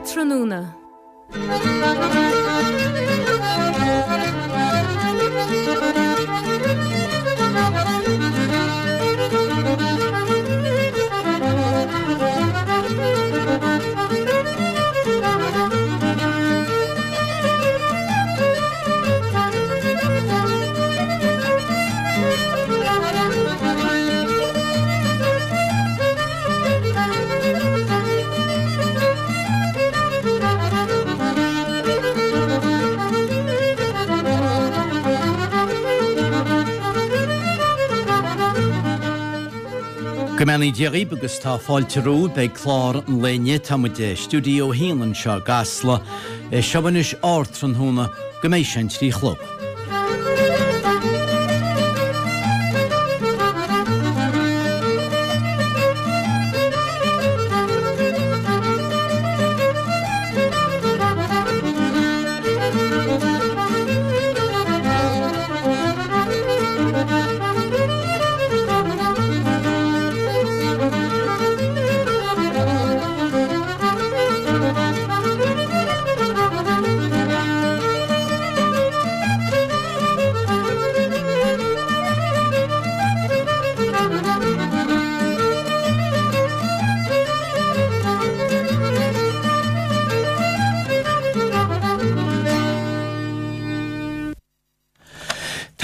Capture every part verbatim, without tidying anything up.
Ardtráthnóna. Go mbeannaí Dia dhaoibh agus tá fáilte romhaibh ag clár an lae inniu. Tá muid i stiúideo a haon anseo i gCasla. Seo anois Ardtráthnóna go mbeidh sé an trí a chlog.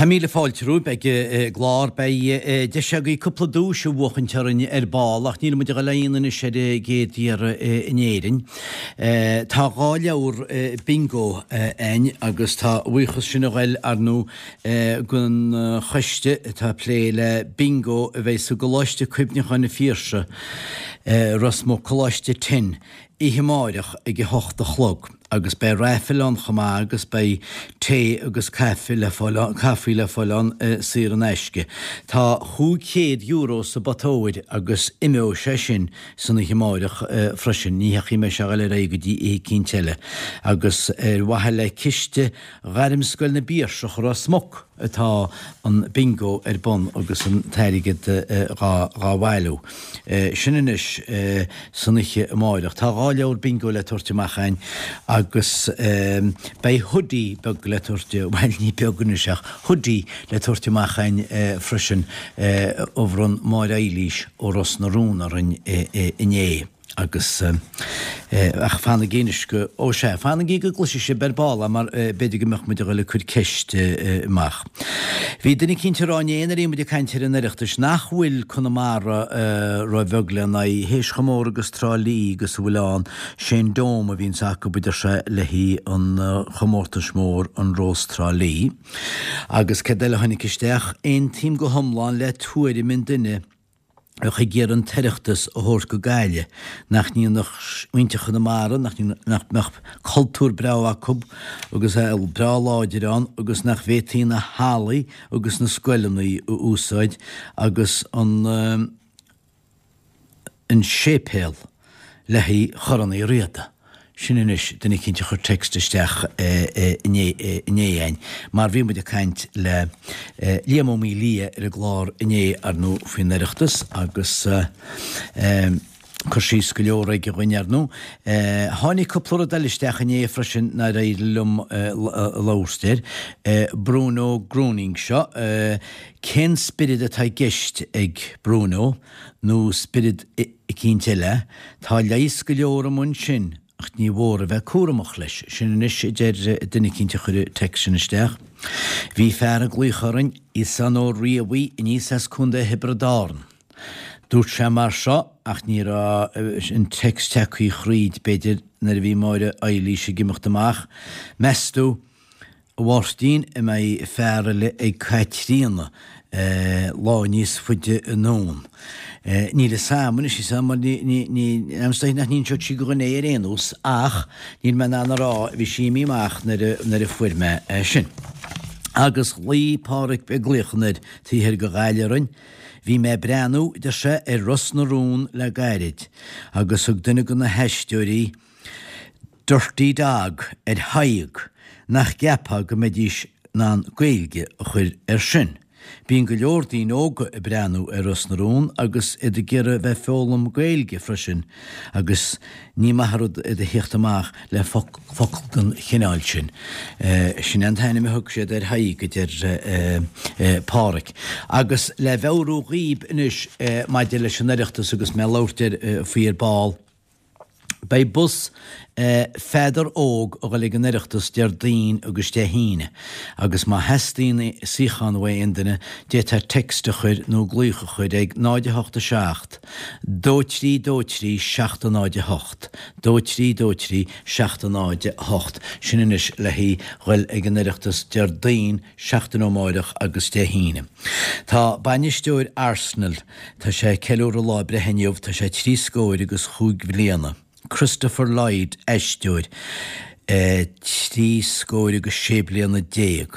Tá míle fáilte romhaibh ag an gclár. Beidh deis agaibh cúpla duais a bhuachaint orainn ar ball ach níl muid ag dul aon anois ar an gcéad iarraidh in Éirinn. Tá dhá leabhar bingo againn agus tá a bhuíochas sin a ghoil ar ndóigh don choiste atá ag plé le bingo a bheidh sa gColáiste Cuimhneacháin na Phiarsaigh, Ros Muc, Coláiste Ten, oíche amáireach ag a hocht a chlog agus beidh raifil ann chomh maith agus beidh tae agus caife le fáil ann, caife le fáil ann saor in aisce. Tá chúig chéad euro sa bpota óir agus imeoidh sé sin san oíche amáireach freisin, ní theachaidh mé sé a ghoil ar aghaidh go dtí oíche eicínt eile agus ar mhaithe le ciste Ghairmscoil na bPiarsach Ros Muc atá an bingo ar bun agus an t-airgead dhá bhailiú. Sin anois san oíche amáireach. Tá dhá leabhar bingo le tabhairt amach againn agus beidh hoodie beag le tabhairt, bhuel ní beag anois ach hoodie le tabhairt amach againn freisin a bhronn Máire Eilís ó Ros na Rún orainn inné. Agus, ach fanaigí anois go, ó sea, fanaigí go gcloisfidh sibh ar ball é mar b'fhéidir go mbeadh muid a dhul ag cur ceist amach. Bhí duine eicínt ag rá inné nuair a bhí muid ag caint ar an Oireachtas nach bhfuil Conamara ró-bheag lena aghaidh, théis chomh mór agus Trá Lí agus a bhfuil ann, sé'n Dome a bhíonns acu a deir sé le haghaidh an chomórtais mór an Rós Trá Lí. Agus céard eile a tháinig isteach? Aontaím go hiomlán le tuairim an duine a bheadh ag iarraidh an tOireachtas a thabhairt go Gaillimh, nach ndéanfadh muintir Chonamara, nach mbeadh cultúr breá acu agus é breá láidir ann agus nach bhféadfaí na hallaí agus na scoileanna a úsáid agus an an séipéal le haghaidh Chorn Uí Riada. Sin anois duine eicínt a chuir text isteach inné againn mar bhí muid ag caint le Liam Ó Maolaodha ar an gclár inné ar ndóigh faoin Oireachtas agus cur síos go leor aige dhuinn ar ndóigh. Tháinig cúpla rud eile isteach inné freisin nár éirigh liom labhairt air. Bruno Gröning seo. Cén spiorad atá i gceist ag Bruno nó spiorad eicínt eile? Tá leigheas go leor amuigh ansin ach ní mhór a bheith cúramach leis. Sin anois a deir duine eicínt a chuir an text sin isteach. Bhí fear ag glaoch orainn, Íosán Ó Riabhaigh aníos as Contae Thiobraid Árann. Dúirt sé mar seo, ach ní raibh an text tagtha thríd, b'fhéidir nuair a bhí Máire Eilís ag imeacht amach, meas tú, A Mháirtín, an mbeidh fear eile ag Caitríona lá níos faide anonn? Níl fhios a'm anois, is ea, mar ní, ní, ní, is dóigh nach n-inseodh sí do dhuine é ar aon nós, ach níl mé in ann a rá, bhí sí imithe amach nuair a, nuair a fuair mé é sin. Agus ghlaoigh Pádhraic ag glaoch anoir taobh thoir de Ghaillimh orainn. Bhí mé ag breathnú, deir sé, ar Ros na Rún le gairid, agus thug duine de na haisteoirí, Dirty Dog ar Thadhg, nach gceapfá go mbeidís in ann Gaeilge a chur air sin. Bíonn go leor daoine óga ag breathnú ar Ros na Rún agus iad ag iarraidh bheith foghlaim Gaeilge freisin agus ní maith an rud iad a theacht amach le focal den chineál sin. Sin é an t-ainm a thug siad ar Thadhg, a deir Páraic. Agus le mheabhrú dhaoib anois maidir leis an Oireachtas agus mé ag labhairt air faoi ar ball, Beidh bus Pheadar Óg a dhul ag an Oireachtas Déardaoin agus Dé hAoine agus má theastaíonn suíochán uaidh aon duine, d'fhéadfá text a chur nó glaoch a chur ag náid a hocht a seacht, dó trí dó trí seacht a náid a hocht, dó trí dó trí seacht a náid a hocht. Sin anois le haghaidh dhul ag an Oireachtas Déardaoin, seachtain ó amáireach agus Dé hAoine. Tá bainisteoir Arsenal, tá sé ag ceiliúradh lá breithe inniu, tá sé trí scóir agus chúig bhliana. Christopher Lloyd, aisteoir, trí scóir agus sé bliana déag,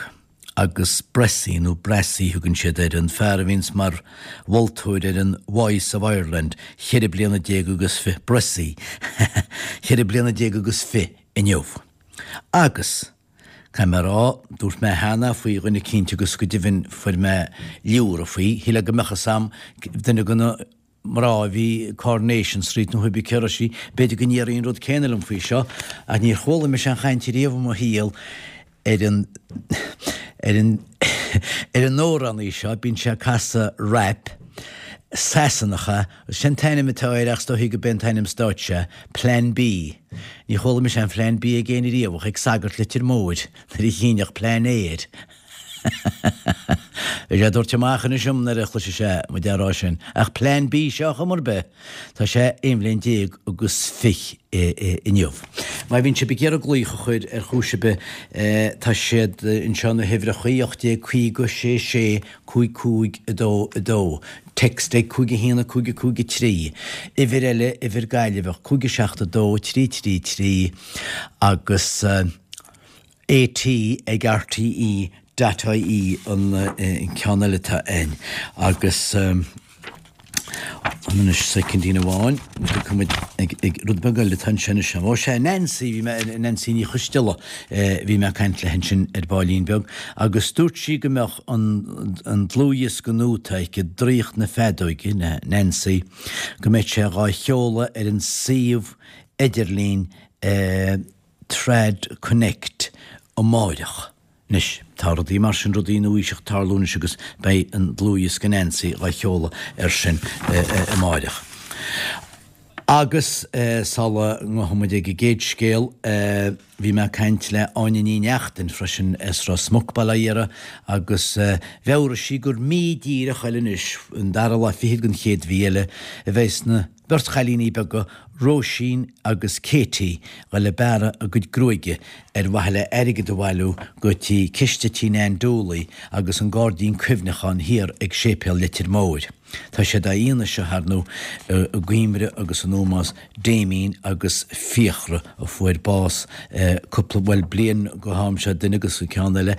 agus Bressy, nó Brassie thugann siad air, an fear a bhíonns mar mholtóir ar an Voice of Ireland, cheithre bliana déag agus fiche, Bressy, cheithre bliana déag agus fiche inniu. Agus, caithfidh mé a rá, dúirt mé cheana faoi dhuine eicínt agus go deimhin fuair mé liúradh faoi, shílfeá go mbeadh fhios a'm, duine de na. mná a bhí Coronation Street nó cibé cé raibh sí, b'fhéidir go ndéarfaí an rud céanna liom faoi seo, ach níor chuala mise aon chaint ariamh i mo shaol ar an ar an ar an amhránaí seo, bíonn sé ag casadh rap Sasanach é, sin an t-ainm atá air ach is dóichí go b'é an t-ainm stáitse é, Plan B. Ní chuala mise aon Phlean B ag éinne riamh ach ag sagart Leitir Móir nuair a shínfeadh Plean A air. Beidh sé ag tabhairt amach anois dom nuair a chloisfidh sé muid á rá sin. Ach Plean B seo ar chuma ar bith, tá sé aon bhliain déag agus fiche inniu. Má bhíonn sibh ag iarraidh glaoch a chur ar chúis ar bith, tá siad anseo na huimhreachaí, ocht déag caoga, sé sé, cúig cúig, a dó a dó. Text ag cúig a haon a cúig a cúig a trí. Uimhir eile, uimhir Gaillimheach, cúig a seacht a dó, trí trí trí agus. AT ag RTE dot IE an ceann eile atá ann agus anois soicindín amháin tiocfaidh muid ag ag rud beag eile atá ansin anois. Ó sea, Nancy, bhí mé, Nancy Ní Choisteala, bhí mé ag caint léi ansin ar baillín beag agus dúirt sí go mbeadh an an dlúthdhiosca nua atá aici, Draíocht na Feadóige, Nancy, go mbeidh sé dhá sheoladh ar an suíomh idirlín Trad Connect amáireach. Anois, tá rudaí mar sin, rudaí nua-aoiseach ag tarlú anois agus beidh an dlúthdhiosca Nancy dhá sheoladh air sin amáireach. Agus sula ngabhfaidh muid ag an gcéad scéal, bhí mé ag caint le Áine Ní Neachtain freisin as Ros Muc, Baile Átha Iara, agus mheabhraigh sí gur mí díreach eile anois, an dara lá fichead den chéad mhí eile, a bheas na Beirt chailíní beaga, Róisín agus Katie, dhul ag bearradh a gcuid gruaige ar mhaithe le airgead a bhailiú go dtí ciste tí Nan Dooley agus an gairdín cuimhneacháin thiar ag Séipéal Leitir Móir. Tá sé d'fhianaise, ar ndóigh, i gcuimhne agus in ómós Damien agus Fiachra a fuair bás cúpla, bhuel, bliain go ham seo, duine agus an ceann eile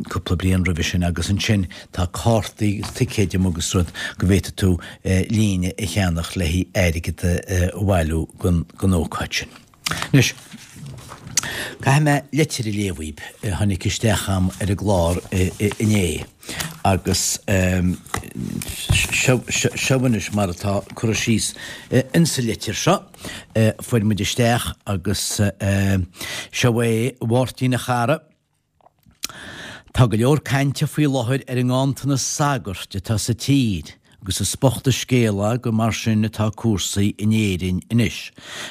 cúpla bliain roimhe sin agus ansin tá cártaí agus ticéid amuigh agus rud go bhféadfaidh tú líne a cheannach le haghaidh airgead a bhailiú don ócáid sin. Anois, caithfidh mé litir a léamh dhaoib a tháinig isteach a'm ar an gclár inné agus seo anois mar atá curtha síos insa litir seo. Fuair muid isteach agus seo é, a Mháirtín a chara. Tá go leor cainte faoi láthair ar an nganntanas sagart atá sa tír agus is bocht an scéal é gur mar sin atá cúrsaí in Éirinn anois.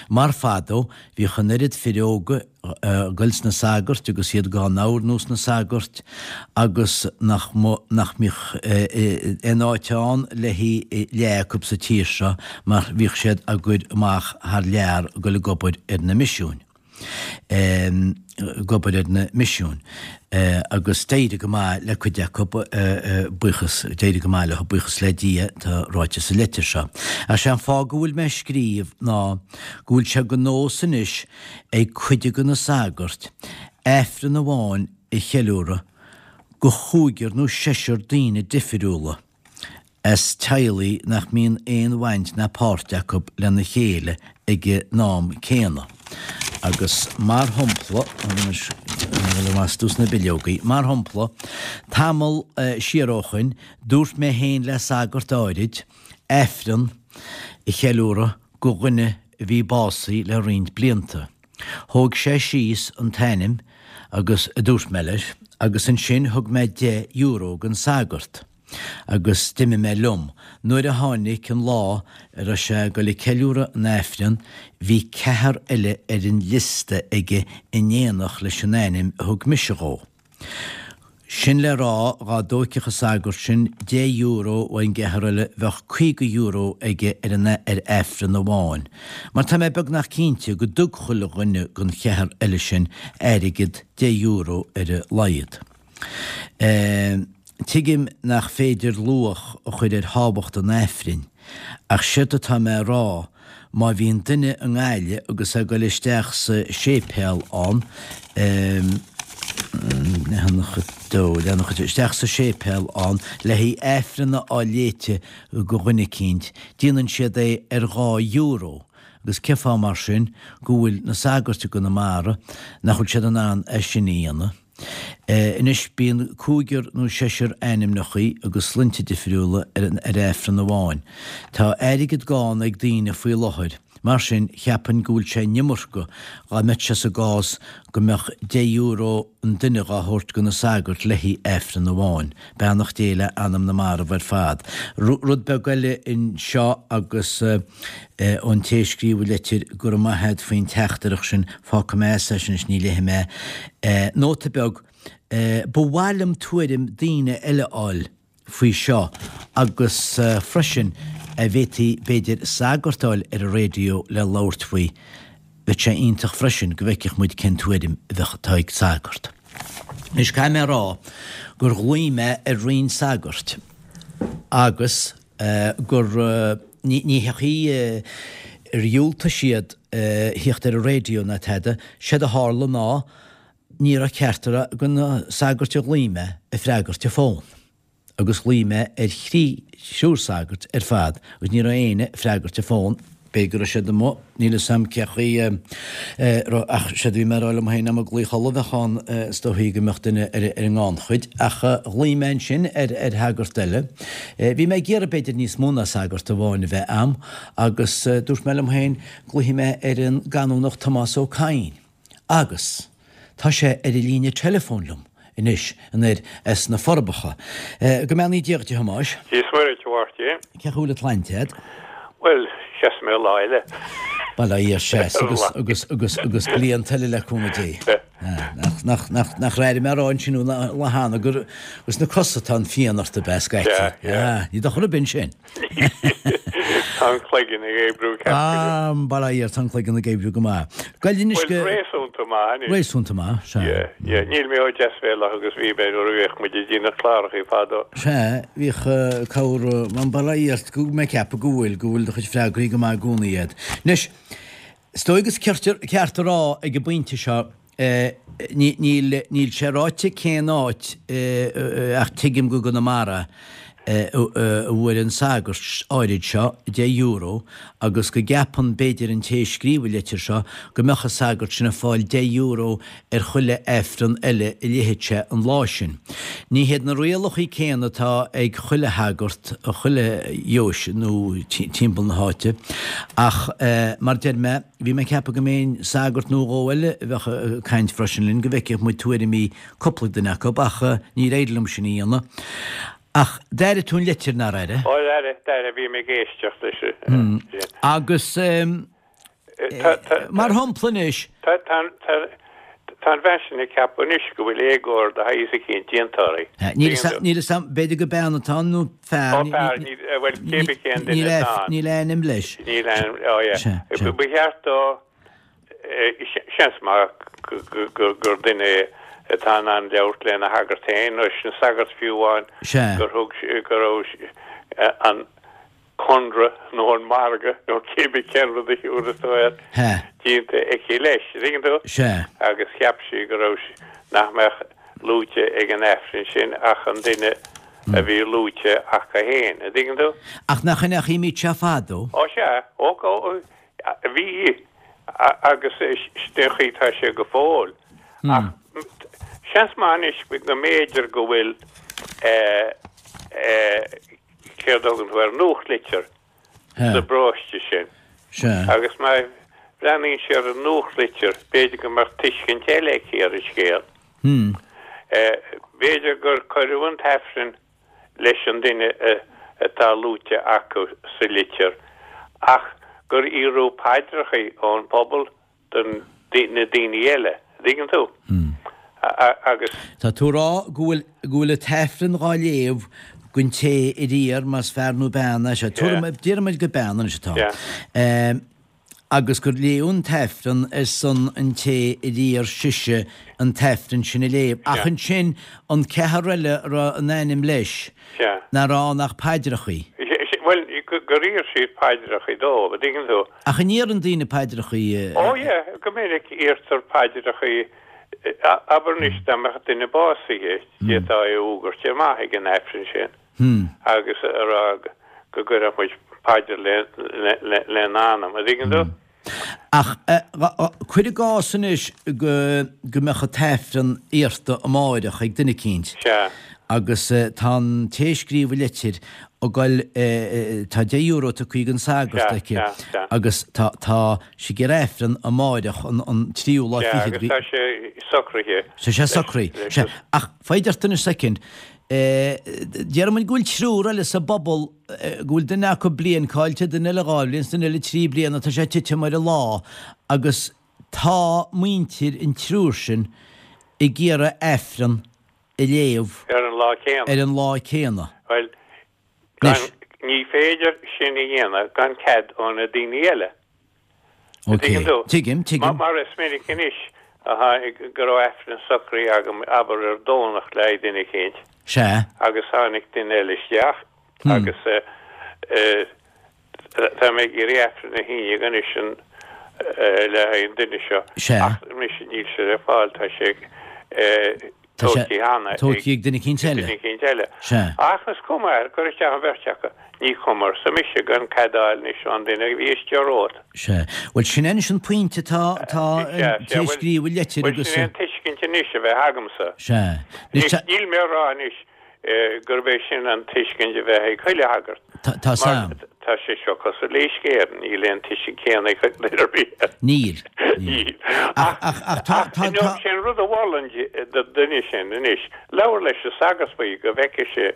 Mar fadó bhíodh an oiread fir óga ag goil sna sagairt agus iad dhá n-oirniú sna sagairt agus nach nach mbíodh aon áit ann le haghaidh leath acu sa tír seo mar bhíodh siad á gcur amach thar lear ag goil ag obair ar na misiúin. ag obair ar na misiúin agus d'éirigh go maith le cuid acu, buíochas, d'éirigh go maith leo, buíochas le Dia, tá ráite sa litir seo. Ach sé an fáth go bhfuil mé ag scríobh ná go bhfuil sé de nós anois ag cuid de na sagairt Aifreann amháin a cheiliúradh do chúigear nó seisear daoine difriúla. as teaghlaigh nach mbíonn aon bhaint ná páirt acu lena chéile ag an am céanna. Agus mar shampla, anois liom astu sna bileogaí. Mar shampla, tamall siar ó shoin, dúirt mé féin le sagart áirid Aifreann a cheiliúradh go dhuine a bhí básaithe le roinnt blianta. Thóg sé síos an t-ainm agus a dúirt mé leis, agus ansin thug mé deich euro don sagart agus d'imigh mé liom. Nuair a tháinig an lá a raibh sé ag dul ag ceiliúradh an Aifrinn, bhí ceathrar eile ar an liosta aige in éineacht leis an ainm a thug mise dhó. Sin le rá, dhá dtóigfeadh an sagart sin deich euro ón gceathrar eile bheadh caoga euro aige ar an ar Aifreann amháin. Mar tá mé beagnach cinnte go dtug chuile dhuine den cheathrar eile sin airgead deich euro ar a laghad. Tuigim nach féidir luach a chur ar thábhacht an Aifrinn, ach séard atá mé a rá, má bhíonn duine i nGaillimh agus é ag dul isteach sa séipéal ann, leathanach a dó, leathanach a trí, isteach sa séipéal ann le haghaidh Aifreann a fháil léite go dhuine eicínt, déanann siad é ar dhá euro, agus cén fáth mar sin go bhfuil na sagairt i gConamara nach bhfuil siad in ann é sin a dhéanamh? Anois bíonn cúigear nó seisear ainmneachaí agus sloinnte difriúla ar ar Aifreann amháin. Tá airgead gann ag daoine faoi láthair. Mar sin, cheapfainn go bhfuil sé an iomarca dhá mbeadh sé sa gcás go mbeadh deich euro an duine dhá thabhairt go na sagairt le haghaidh Aifreann amháin. Beannacht Dé le anam na marbh ar fad. Rud beag eile anseo agus ón té a scríobh an litir, go raibh maith a't faoin teachtaireacht sin, fágfaidh mé as é sin anois, ní léifidh mé é. Nóta beag, Ba mhaith liom tuairim daoine eile a fháil faoi seo agus freisin a bhféadfaí b'fhéidir sagart a fháil ar an raidió le labhairt faoi, bheadh sé iontach freisin go bhfeicfeadh muid cén tuairim a bheadh atá ag sagart. Anois caithfidh mé a rá gur ghlaoigh mé ar roinnt sagairt agus gur ní ní hé gur dhiúltaigh siad thíocht ar an raidió ná tada, séard a tharla ná ní raibh ceachtar de na sagairt a ghlaoigh mé ag freagairt an fón. Agus ghlaoigh mé ar thrí thriúr sagart ar fad agus ní raibh éinne ag freagairt an fón, b'fhéidir go raibh siad amuigh, níl 'fhios a'm cé chaoi a raibh, ach séard a bhí mé a rá liom féin, dá mba glaoch ullamh a bheadh ann is dóichí go mbeadh duine ar an ngannchuid, ach ghlaoigh mé ansin ar ar shagart eile. Bhí mé ag iarraidh b'fhéidir níos mó ná sagart amháin a bheith a'm agus dúirt mé liom féin, glaofaidh mé ar an gCanónach Tomás Ó Cadhain. Agus tá sé ar an líne teileafóin liom anois anoir as na Forbacha. Go mbeannaí Dia dhuit, a Thomáis. Dia is Muire duit, a Mháirtín. Cén chaoi a bhfuil an tsláinte a'd? Bhuel, seasfaidh mé lá eile. Bail ó Dhia ort, seas agus, agus, agus, agus blianta eile le cúnamh Dé. Nach, nach, nach, nach raibh mé a rá ansin an lá cheana gur sna cosa atá an phian ort ab ea scaití. Yeah, yeah. Ní dochar ar bith ansin. Tá an cloigeann ag oibriú ceart go leor. Ah, bail ó Dhia ort, tá an cloigeann ag oibriú go maith. Gabh anois go. Bhuel, réasúnta maith anois. Réasúnta maith, sea. Yeah, yeah. Níl mé chomh deasbhéalach agus bhí mé nuair a bhíodh muid ag déanamh clárachaí fadó. Sea, bhíodh cabhair, bail ó Dhia ort, go mé ag ceapadh go bhfuil, go bhfuil do chuid freagraí go maith i gcónaí a'd. Anois, is dóigh gur ceart a rá ag an bpointe seo, Níl, níl sé ráite cén áit ach tuigim go gConamara a bhfuair an sagart áirid seo deich euro agus go gceapann b'fhéidir an té a scríobh an litir seo go mbeadh an sagart sin ag fáil deich euro ar chuile Aifreann eile a léifeadh sé an lá sin. Ní hiad na rialachaí céanna atá ag chuile shagart i chuile dheoise nó timpeall na háite ach mar deir mé, Bhí mé ag ceapadh go mbeinn sagart nó dhó eile a bheadh ag caint freisin linn, go bhfeicfeadh muid tuairimí cúpla duine acu, ach níor éirigh liom sin a dhéanamh. Ach d'airigh tú an litir, nár airigh? Ó, d'airigh, d'airigh, bhí mé ag éisteacht leis sin. Agus mar shampla anois. Tá, tá, tá. Tá an bhean sin ag ceapadh anois go bhfuil éagóir de shaghas eicínt déanta uirthi. Níl 'fhios a'm, níl 'fhios a'm, b'fhéidir gur bean atá ann nó fear. Ó, fear, níl, bhuel, cé bith cén duine atá ann. Níl ainm leis. Níl ainm, ó yeah. Sea, sea. Ba cheart dó, seans maith gur duine é atá in ann labhairt lena shagart féin, nó leis an sagart fiú amháin, gur thug, go raibh an, conradh nó an margadh nó cé bith cén rud a thiúrfas tú air déanta aici leis, an dtuigeann tú? Sea. Agus cheap sí go raibh, nach mbeadh luaite ag an Aifreann sin ach an duine a bhí luaite acu féin, an dtuigeann tú? Ach nach in é an chaoi a mbíodh sé fadó? Ó sea, ó, ó, bhí, agus sin an chaoi atá sé go fóill. Ach Seans maith anois go mb'fhéidir go bhfuil céard a thugann tú air, nuachtlitir sa bparóiste sin. Agus má bhreathnaíonn sí ar an nuachtlitir, b'fhéidir go mbeadh tuiscint eile aici ar an scéal. B'fhéidir gur cuireadh an t-aifreann leis an duine atá luaite acu sa litir ach gur iarradh paidreacha ón bpobal do na daoine eile. An dtuigeann tú? Agus. Tá tú a rá go bhfuil go bhfuil an t-aifreann dhá léamh don té a d'iarr, más fear nó bean é, sea, déarfaidh muid gur bean anois atá, agus gur léadh an t-aifreann ar son an té a d'iarr sise an t-aifreann sin a léamh. Ach ansin an ceathrar eile a raibh a n-ainm leis, nach raibh ann ach paidreachaí. Bhuel, gur iarr siad paidreachaí dóibh, an dtuigeann tú. Ach an iarrann daoine paidreachaí? Ó yeah, go minic iarrtar paidreachaí. Abair anois dá mbeadh duine básaithe, d'fhéadfá é a fhógairt amach ag an Aifreann sin agus a rá go gcuirfeadh muid paidir lena anam, an dtuigeann tú? Ach cuir i gcás anois go mbeadh an tAifreann iarrta amáireach ag duine eicínt agus tá an té a scríobh an litir ag goil, tá deich euro tugtha ag an sagart aici agus tá tá sí ag iarraidh Aifreann amáireach an tríú lá fichead. Sea, agus tá sé socraithe. Tá sé socraithe, sea. Ach foighid ort anois soicind. Déarfaidh muid go bhfuil triúr eile sa bpobal, go bhfuil duine acu bliain caillte, duine eile dhá bhliain, is duine eile trí bliana, tá sé ag titim ar an lá agus tá muintir an triúr sin ag iarraidh Aifreann a léamh ar an lá céanna. Ar an lá céanna. Bhuel, gan, ní féidir sin a dhéanamh gan cead ó na daoine eile. Ok, Tuigeann tú? Tuigim, tuigim. Mar is minic anois a tháinig go raibh Aifreann socraithe agam, abair ar Domhnach le haghaidh duine eicínt. Sea. Agus tháinig duine eile isteach agus tá mé ag iarraidh Aifreann a shíneadh anois an le haghaidh an duine seo. Sea. Ach mise níl sé ar fáil, tá sé Tá sé tógtha cheana tógtha ag duine eicínt eile. Duine eicínt eile. Sea. Ach is cuma air, cuir isteach an bheirt acu. Ní cuma, arsa mise, gan cead a fháil anois ón duine a bhí istigh romhat. Sea. Bhuel, sin é anois an pointe atá, atá Sea, an sea, té a bhuel, scríobh an litir bhuel, agus. sin é an tuiscint anois a bheith agamsa. Sea. Anois Anois, tá. níl mé a rá anois gurb é sin an tuiscint a bheith ag chuile shagart. Tá 's Mar a'm. tá sé seo cosúil le Uisce Éireann, níl aon tuiscint céanna ag duine ar bith air. Níl. Níl. Níl. Ach, Ach, ach, ach tá, ach, tá, no, tá. sé an rud a mholfainn do duine sin anois, labhair leis an sagart faoi go bhfeicfidh sé,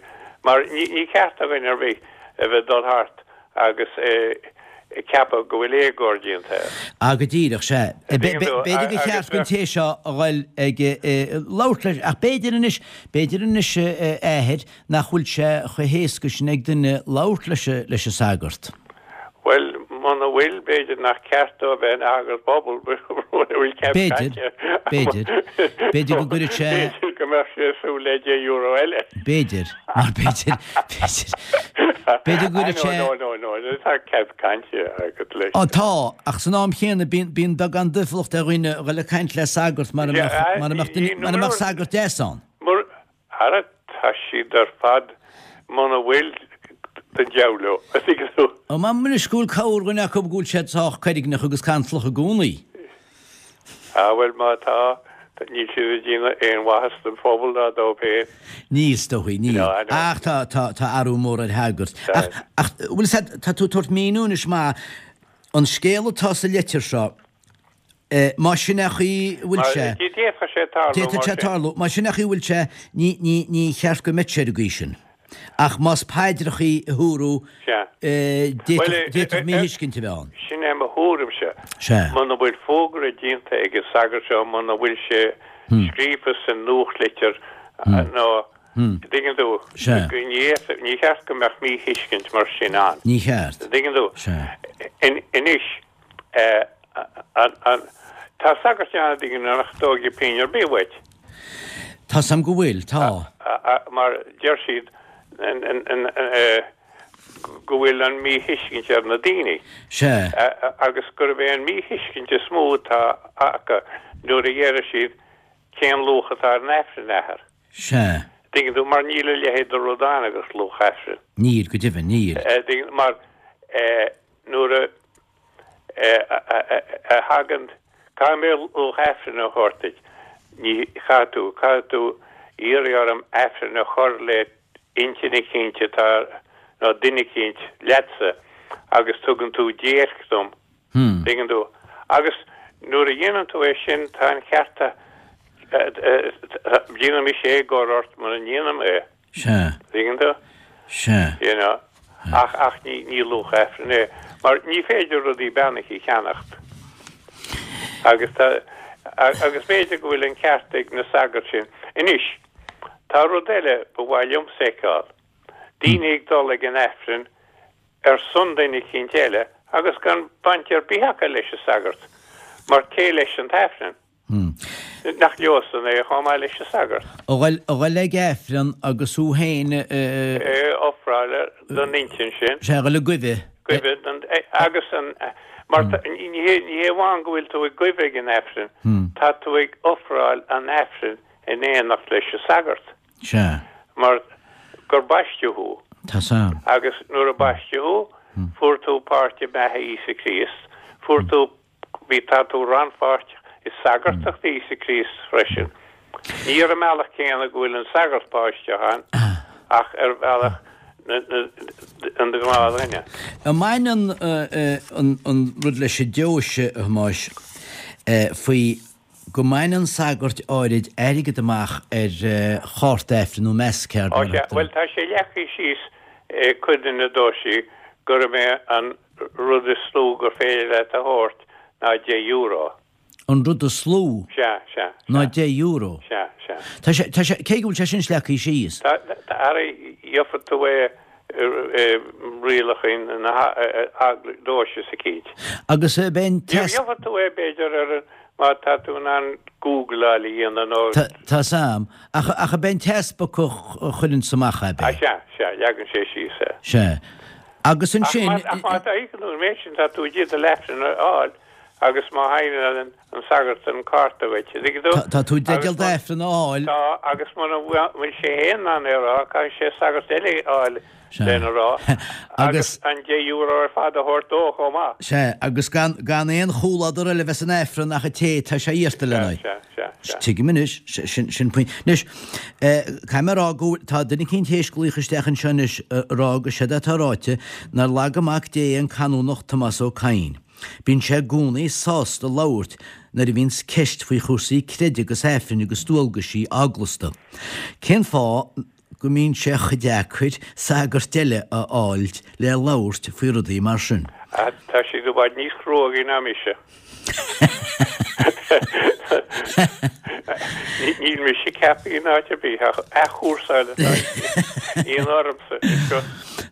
mar ní, ní ceart do dhuine ar bith a bheith dul thart agus ag ceapadh go bhfuil éagóir déanta air. Ah, go díreach, sea. Tuigeann tú, B'fhéidir gur agus cheart don té seo a ghoil ag labhairt leis, ach b'fhéidir anois, b'fhéidir anois, a Athair, nach bhfuil sé chomh héasca sin ag duine labhairt leis, leis an sagart. Bhuel, muna bhfuil, b'fhéidir nach ceart dó a bheith ina shagart pobail, mura bhfuil cead B'fhéidir, cainte. b'fhéidir. B'fhéidir go gcuirfeadh sé. B'fhéidir go mbeadh sé ag súil le deich euro eile. B'fhéidir, mar b'fhéidir, b'fhéidir, b'fhéidir go gcuirfeadh sé. No, no, no, no, tá cead cainte agat leis. Á, tá, ach san am chéanna bíonn, bíonn beagán difríocht ar dhaoine a dhul ag caint le sagart mara mbeadh, mara mbeadh duine, mara mbeadh sagart deas ann. Mur, ara, tá siad ar fad, muna bhfuil, don diabhal leo, a thuigeann tú. Ó, m'anam anois go bhfuil corrdhuine acu go bhfuil siad sách coirgneach agus cantalach i gcónaí. Ah, bhuel, má tá, níl siad ag déanamh aon mhaitheas don phobal ná dóibh féin. Níl, is dóigh, níl. No, I know. Ach tá, tá, tá athrú mór ar shagairt. Tá. Ach, ach, bhfuil 'fhios a'd, tá tú ag tabhairt míniú anois maith, an scéal atá sa litir seo, Má sin é an chaoi a bhfuil sé. D'fhéadfadh sé tarlú mar sin. D'fhéadfadh sé tarlú. Má sin é an chaoi a bhfuil sé, ní, ní, ní cheart go mbeadh sé ar an gcaoi sin. Ach más paidreachaí a húrú, d'fhéadfadh, d'fhéadfadh míthuiscint a bheith ann. Sin é mo thuairimse. Sea. Muna bhfuil fógra déanta ag an sagart seo, muna bhfuil sé scríofa sa nuachtlitir nó, dtuigeann tú, Sea. ní, ní cheart go mbeadh míthuiscint mar sin ann. Ní cheart. Dtuigeann tú? Sea. Anois, Tá sagairt ann a dtuigeann nach dtógfaidh pingin ar bith uait. Tá 's a'm go bhfuil, tá. Mar deir siad go bhfuil an míthuiscint ar na daoine. Sea. Agus gurb é an míthuiscint is mó atá acu nuair a deir siad cén luach atá ar an Aifreann, a Athair. Sea. Tuigeann tú, mar níl a leithéid de rud ann agus luach Aifrinn. Níl, go deimhin, níl. Tuigeann, mar nuair a a thagann, caithfidh mé luach Aifrinn a thabhairt duit, Ní chaithfidh tú, caithfidh tú iarraidh orm Aifreann a chur le intinn eicínt atá, nó duine eicínt leatsa agus tugann tú déirc dom, tuigeann tú. Agus nuair a dhéanann tú é sin, tá an ceart, déanfaidh mise éagóir ort mura ndéanaim é. Sea. Tuigeann tú? Sea. You know? Ach, ach ní, ní luach Aifrinn é, mar ní féidir rudaí beannaithe a cheannacht. Agus tá, agus b'fhéidir go bhfuil an ceart ag na sagairt sin. Anois, tá rud eile ba mhaith liomsa a fheiceáil. Daoine ag dul ag an Aifreann ar son duine eicínt eile agus gan baint ar bith acu leis an sagart, mar cé leis an t-Aifreann? Nach leosan é chomh maith leis an sagart? A dhul ag Aifreann agus thú féin a. Ofráil don intinn sin. Sea, a dhul ag guibhe. Guibhe don, agus an, mar ní hé, ní hé amháin go bhfuil tú ag guibhe ag an Aifreann, tá tú ag ofráil an Aifrinn in éineacht leis an sagart. Sea. Mar gur baisteadh thú. Tá san. Agus nuair a baisteadh thú, fuair tú páirt i mbeatha Íosa Críost, fuair tú, bhí, tá tú rannpháirteach i sagartacht Íosa Críost freisin. Ní ar an mbealach céanna go bhfuil an sagart páirteach ann, ach ar bhealach an ghnáthdhuine. An mbaineann an rud leis an deoise, a Thomáis, faoi go mbaineann sagairt áirid airgead amach ar chárta Aifrinn nó mass card mar a thugtar. Bhuel, tá sé leagtha síos i cuid de na deoisí gurb é an rud is lú gur féidir leat a thabhairt ná deich euro. An rud is lú? Sea, sea, sea. Ná deich euro? Sea, sea. Tá sé, tá sé, cé go bhfuil sé sin leagtha síos? Tá, tá, ara, gheobhaidh tú é i rialacha na deoise eicínt. Agus ab é an t-. Gheobhaidh tú é b'fhéidir ar an, má tá tú in ann Googleáil a dhéanamh nó. Tá 's a'm. Ach, ach ab é an t-easpag a chuireanns amach é, ab é? Ah, sea, sea, leagann sé síos é. Sea. Agus ansin. Ach má tá íocann tú an méid sin, tá tú i dteideal Aifreann a fháil agus má shaighneálann an sagart an cárta dhuit, an dtuigeann tú? Tá tú i dteideal d'Aifreann a fháil. Tá, agus muna bhfuil sé féin in ann é a rá, caithfidh sé sagart eile a fháil lena rá agus an deich euro ar fad a thabhairt dó chomh maith. Sea, agus gan gan aon chomhluadar eile a bheith san Aifreann ach an té atá sé iarrta lena aghaidh. Sea, sea, sea. Tuigim anois, sin sin pointe. Anois, caithfidh mé a rá go bhfuil, tá duine eicínt théis glaoch isteach anseo anois a rá go séard atá ráite, nár laga Mac Dé an Canónach Tomás Ó Cadhain. Bíonn sé i gcónaí sásta labhairt nuair a bhíonns ceist faoi chúrsaí creidimh agus Aifrinn agus dualgaisí eaglasta. Cén fáth go mbíonn sé chomh deacair sagart eile a fháilt le labhairt faoi rudaí mar sin? Tá siad i bhfad níos cruógaí ná mise. Níl mise ceaptha in áit ar bith ach athchúrsáil atá in ormsa anseo.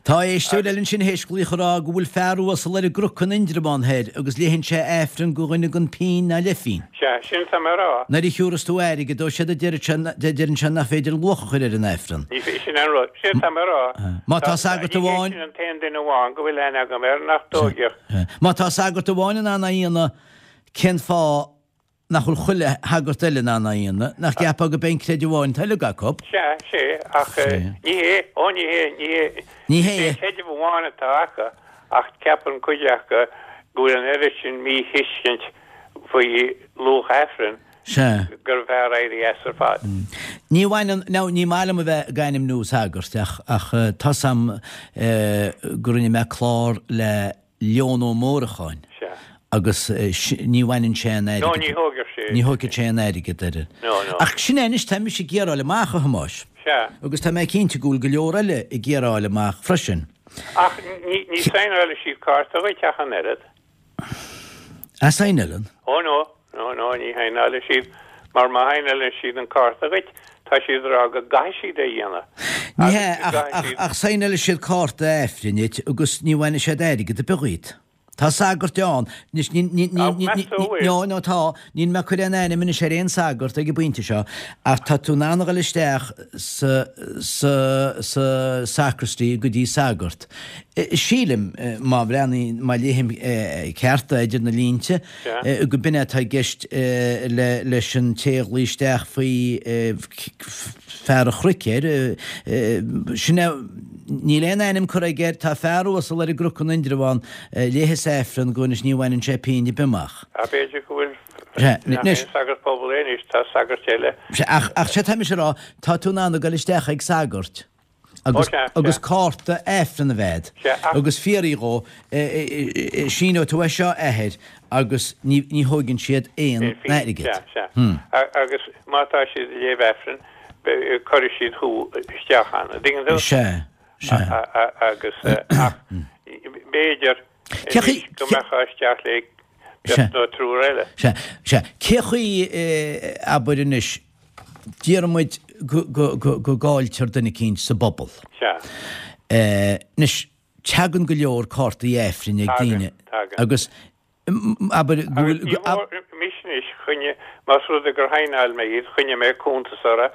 Tá éisteoir eile ansin théis glaoch a rá go bhfuil fear uasal ar an gCnoc in Indreabhán thoir agus léigheann sé Aifreann go dhuine gan pingin ná leithphingin. Sea, sin atá mé a rá. Nuair a thiúras tú airgead dó séard a deireann sé nach féidir luach a chur ar an Aifreann. Ní féidir, sin an rud. Sin atá mé a rá. Má tá sagart amháin. Ní hé sin an t-aon duine amháin go bhfuil aithne agam air nach dtóigfeadh. Má tá sagart amháin in ann é a dhéanamh, cén fáth nach bhfuil chuile shagart eile in ann é a dhéanamh, nach gceapfá go b'é an creideamh amháin atá uilig acu? Sea, sea, ach ní hé, ó ní hé, ní hé, ní hé. Is é an creideamh amháin atá acu, ach ceapann cuid acu go bhfuil an oiread sin míthuiscint faoi luach Aifrinn Sea. gurbh fhearr éirí as ar fad. Ní bhaineann, now ní maith liom a bheith ag ainmniú sagairt ach, ach tá's a'm go rinne mé clár le Leon Ó Mórdhacháin agus ní bhaineann sé aon airgead. No, ní thógfadh sé. Ní thógfadh sé aon airgead air. No, no. Ach sin é anois, tá mise ag iarraidh a fháil amach, a Thomáis. Sea. Agus tá mé cinnte go bhfuil go leor eile ag iarraidh a fháil amach freisin. Ach ní, ní saighneálfaidh siad cárta dhuit ach an oiread. A saighneálann? Ó no. No, no, ní shaighneálfaidh siad, mar má shaighneálann siad an cárta dhuit, tá siad ag rá go gcaithfidh siad é a dhéanamh. Ní hea, ach, ach, ach saighneálfaidh siad cárta Aifrinn dhuit agus ní bhainfidh siad airgead ar bith dhíot. Tá sagairt ann, anois, ní, ní, ní, ní, ní, ní, no, no, tá, níl mé ag cur aon ainm anois ar aon sagart ag an bpointe seo, ach tá tú in ann a dhul isteach sa, sa, sa sacristy go dtí sagart. Sílim, má bhreathnaím, má léim ceart idir na línte, go b'in é atá i gceist leis an té a ghlaoigh isteach faoi fear an Chnoic air. Sin é, níl aon ainm curtha aige air, tá fear uasal ar an gCnoc in Indreabhán, léigheas Aifreann go anois ní bhaineann sé pingin ar bith amach. B'fhéidir go bhfuil Aifreann. Nach aon sagart pobail é anois, tá sagart eile. Sea, ach, ach sé tá mise a rá, tá tú in ann a ghoil isteach ag sagart agus, agus cárta Aifreann a bheith a'd agus fiafraí dhó, síneoidh tú é seo a athair agus ní, ní thóigeann siad aon airgead. Sea, sea. Agus má tá siad ag léamh Aifrinn, cuirfidh siad thú isteach ann, an dtuigeann tú? Sea, sea. Agus, ach b'fhéidir anois go mbeifeá isteach le beirt nó triúr eile. Sea, sea. Cé chaoi, abair anois, déarfaidh muid go gcailltear duine eicínt sa bpobal. Sea. Anois, teagann go leor cártaí Aifrinn ag daoine. Tagann, tagann. Agus, abair, go bhfuil. Agus ní mór, mise anois, choinnigh, más rud é gur shaighneáil mé iad, choinnigh mé cuntas orthu,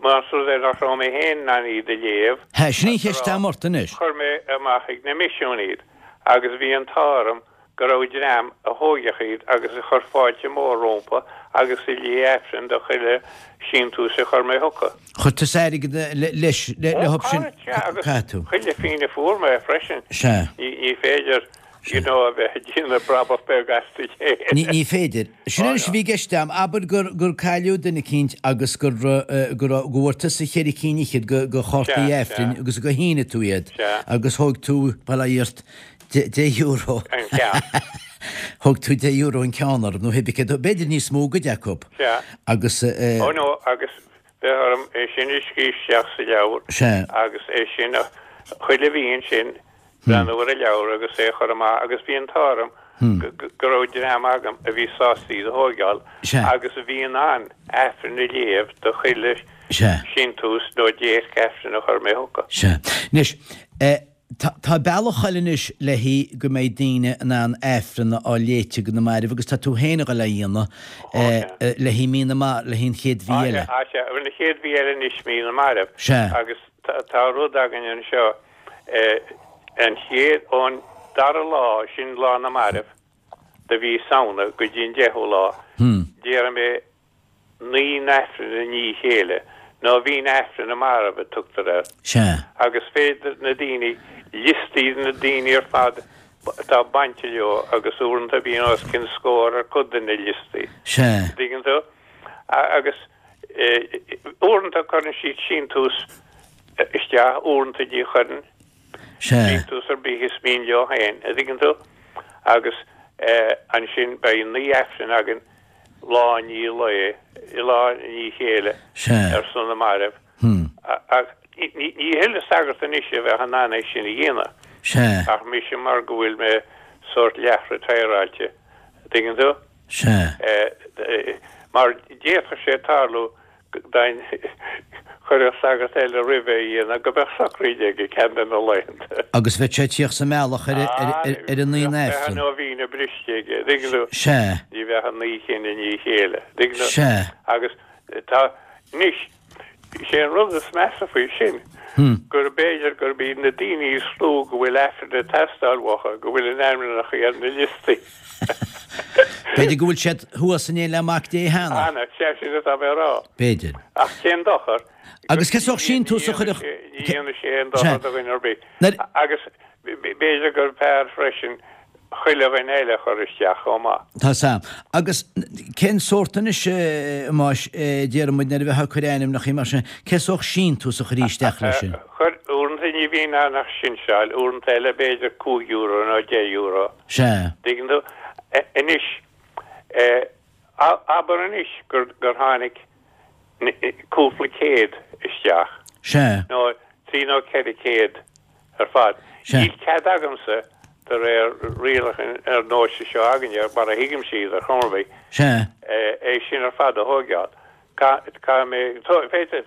más rud é nach raibh mé féin in ann iad a léamh. Sea, sin í an cheist a'm ort anois. Chuir mé amach ag na misiúin iad agus bhí an t-ádh orm go raibh dream a thóigfeadh iad agus a chuir fáilte mhór rómpa agus a léigh Aifreann do chuile shíntiús a chuir mé chucu. Chuir tusa airgead leis, leo sin, caithfidh tú. Chuile phingin a fuair mé freisin. Sea. Ní féidir, you know, a bheith ag déanamh brabach beag astu féin. Ní féidir. Sin anois a bhí i gceist a'm, abair gur gur cailleadh duine eicínt agus gur go raibh, go bhfuair tusa cheithre cinn fhichead de chártaí Aifrinn agus gur shínigh tú iad agus thóg tú, bail ó Dhia ort, Deich euro. An ceann. Thóg tú deich euro an ceann orthu, nó pé ar bith, b'fhéidir níos mó i gcuid acu. Sea. Agus eh. Ó no, agus bheadh orm é sin a scríobh isteach sa leabhar. Sea. Agus é sin a, chuile mhí ansin, breathnú ar an leabhar agus é a chur amach agus bhí an t-ádh orm go raibh dream agam a bhí sásta iad a thóigeáil agus a bhí in ann Aifreann a léamh do chuile síntiús nó déirc Aifrinn a chuir mé chucu. Sea. Anois, eh. Tá bealach eile anois le haghaidh go mbeidh daoine in ann Aifreann a fháil léite do na mairbh agus tá tú féin a dhul á dhéanamh le haghaidh mí na mairbh, le haghaidh an chéad mhí eile. Á sea, an chéad mhí eile anois mí na mairbh. Sea. Agus tá rud againn anseo, an chéad, ón dara lá, sin lá na mairbh, de mhí Samhna go dtí an deichiú lá, déarfaidh mé naoi n-aifreann i ndiaidh a chéile, nóibhín Aifreann na Marbh a tugtar air. Sea. Agus féadfaidh na daoine liostaí de na daoine ar fad atá bainte leo agus uaireanta bíonn os cionn scór ar cuid de na liostaí. Sea. An dtuigeann tú? Agus uaireanta cuireann siad síntiús isteach, uaireanta ní chuireann. Sea. Síntiús ar bith is mian leo féin, an dtuigeann tú? Agus ansin beidh naoi Aifreann againn lá i ndiaidh lae, lá i ndiaidh a chéile ar son na mairbh. Ach ní chuile sagart anois a bheadh in ann é sin a dhéanamh. Ach mise mar go bhfuil mé sórt leath-retireáilte, an dtuigeann tú? Mar d'fhéadfadh sé tarlú dá gcuirfeadh sagart eile roimhe a dhéanamh go mbeadh socraíd aige ceann de na laethanta. Agus bheadh sé ag tíocht sa mbealach ar an naoi n-aifreann. Bheadh an nóibhín briste aige, dtuigeann tú? Sea. Ní bheadh an naoi cinn i ndiaidh a chéile, dtuigeann tú? Sea. Agus tá, anois, is é an rud is measa faoi sin gur b'fhéidir gurb iad na daoine is lú go bhfuil aifreann ag teastáil uathu, go bhfuil a n-ainmneacha ar na liostaí. B'fhéidir go bhfuil siad thuas in éindí le Mac Dé cheana. Cheana, sea, sin atá mé a rá. B'fhéidir. Ach cén dochar? Agus cé sórt síntiús a chuirfeadh. Ní dhéanfaidh sé aon dochar do dhuine ar bith. Agus b'fhéidir gurbh fhearr freisin chuile dhuine eile a chur isteach chomh maith. Tá 's a'm. Agus cén sórt anois, a Mháis, déarfaidh muid nuair a bheifeá ag cur ainmneacha mar sin, cé sórt síntiús a chuirfí isteach leis sin? Chuir, uaireanta ní bhíonn ann ach sinseáil, uaireanta eile b'fhéidir cúig euro nó deich euro. Sea. Dtuigeann tú? Anois, abair anois gur tháinig cúpla céad isteach. Sea. Nó trí nó ceithre chéad ar fad. Sea. Níl cead agamsa, de réir rialacha ar nós seo againne, mar a thuigimse iad ar chuma ar bith, Sea. é sin ar fad a thóigeáil. Caithfidh mé,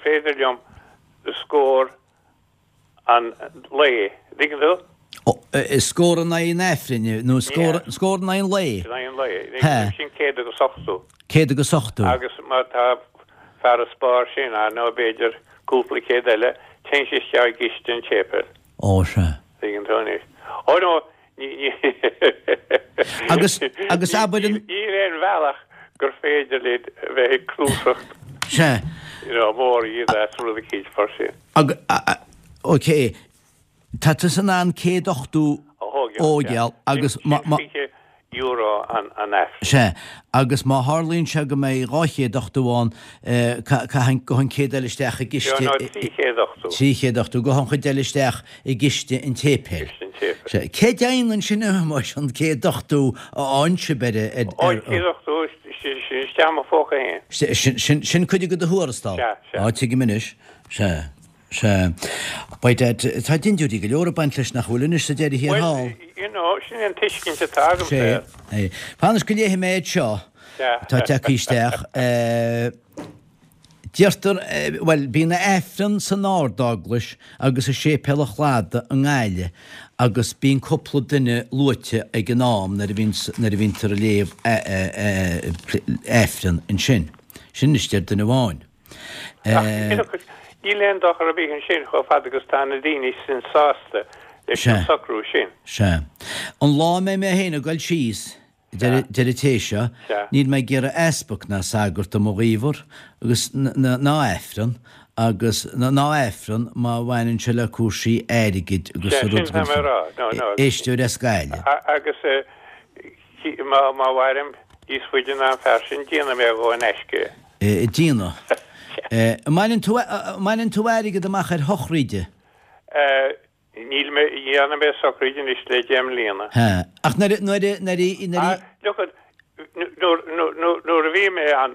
féidir liom scór an lae, dtuigeann tú? Scór in aghaidh an Aifrinn, nó scór scór in aghaidh an lae? In aghaidh an lae. Sin céad agus ochtó. Céad agus ochtó. Agus má tá farasbarr sin ann, nó b'fhéidir cúpla céad eile, téann sé isteach i gciste an tséipéil. Ó, sea. Tuigeann tú anois. Ó no, ní, ní, Agus, agus abair an. Níl aon bhealach gur féidir linn a bheith ag cnuasacht. Sea. You know, mór iad as rud eicínt mar sin. Ag, ok, tá tusa in ann céad ochtó A thógáil, a thógáil agus Sin má, má. fiche euro an an Aifreann. Sea, agus má tharlaíonn sé go mbeidh dhá chéad ochtó ann, caithfidh go an céad eile isteach i gciste. No, trí chéad ochtó. Trí chéad ochtó, go an chuid eile isteach i gciste an tséipéil. Ciste an tséipéil. Sea, cé dhéanann sin a Thomáis, an céad ochtó a fhaigheann sibh ar ar. Ó, an céad ochtó, sin isteach i mo phóca féin. Sin, sin, sin cuid de do thuarastal? Sea, sea. Á, tuigim anois. Sea. Sea. By dad, tá dindiúirí go leor ag baint leis nach bhfuil anois sa deireadh thiar thall. Bhuel, you know, sin an tuiscint atá agamsa air. Sea. Fan anois go léifidh mé iad seo atá tagtha isteach. Deirtear, bhuel, bíonn Aifreann san Ard-Eaglais agus i Séipéal an Chladaigh i nGaillimh agus bíonn cúpla duine luaite ag an am nuair a bhíonn, nuair a bhíontar ag léamh Aifreann ansin. Sin anois deir duine amháin. Ach níl aon dochar ar bith ansin chomh fada agus tá na daoine sin sásta leis an socrú sin. Sea. An lá a mbeidh mé féin ag goil síos, deir an té seo, níl mé ag iarraidh easpag ná sagart i mo ghaobhar agus ná Aifreann agus ná Aifreann má bhaineann sé le cúrsaí airgid agus Sea, sin tá mé a rá. No, no. Éisteoir as Gaillimh. Agus má mhairim níos faide ná an fear sin, déanfaidh mé dhó in aisce é. Déanfaidh. An mbaineann tú, an mbaineann tú airgead amach ar shochraide? Níl mé, ní dhearna mé sochraid anois le deich mbliana. Ha. Ach nuair a, nuair a, nuair a, nuair a. Look at, nuair, nuair, nuair a bhí mé ann,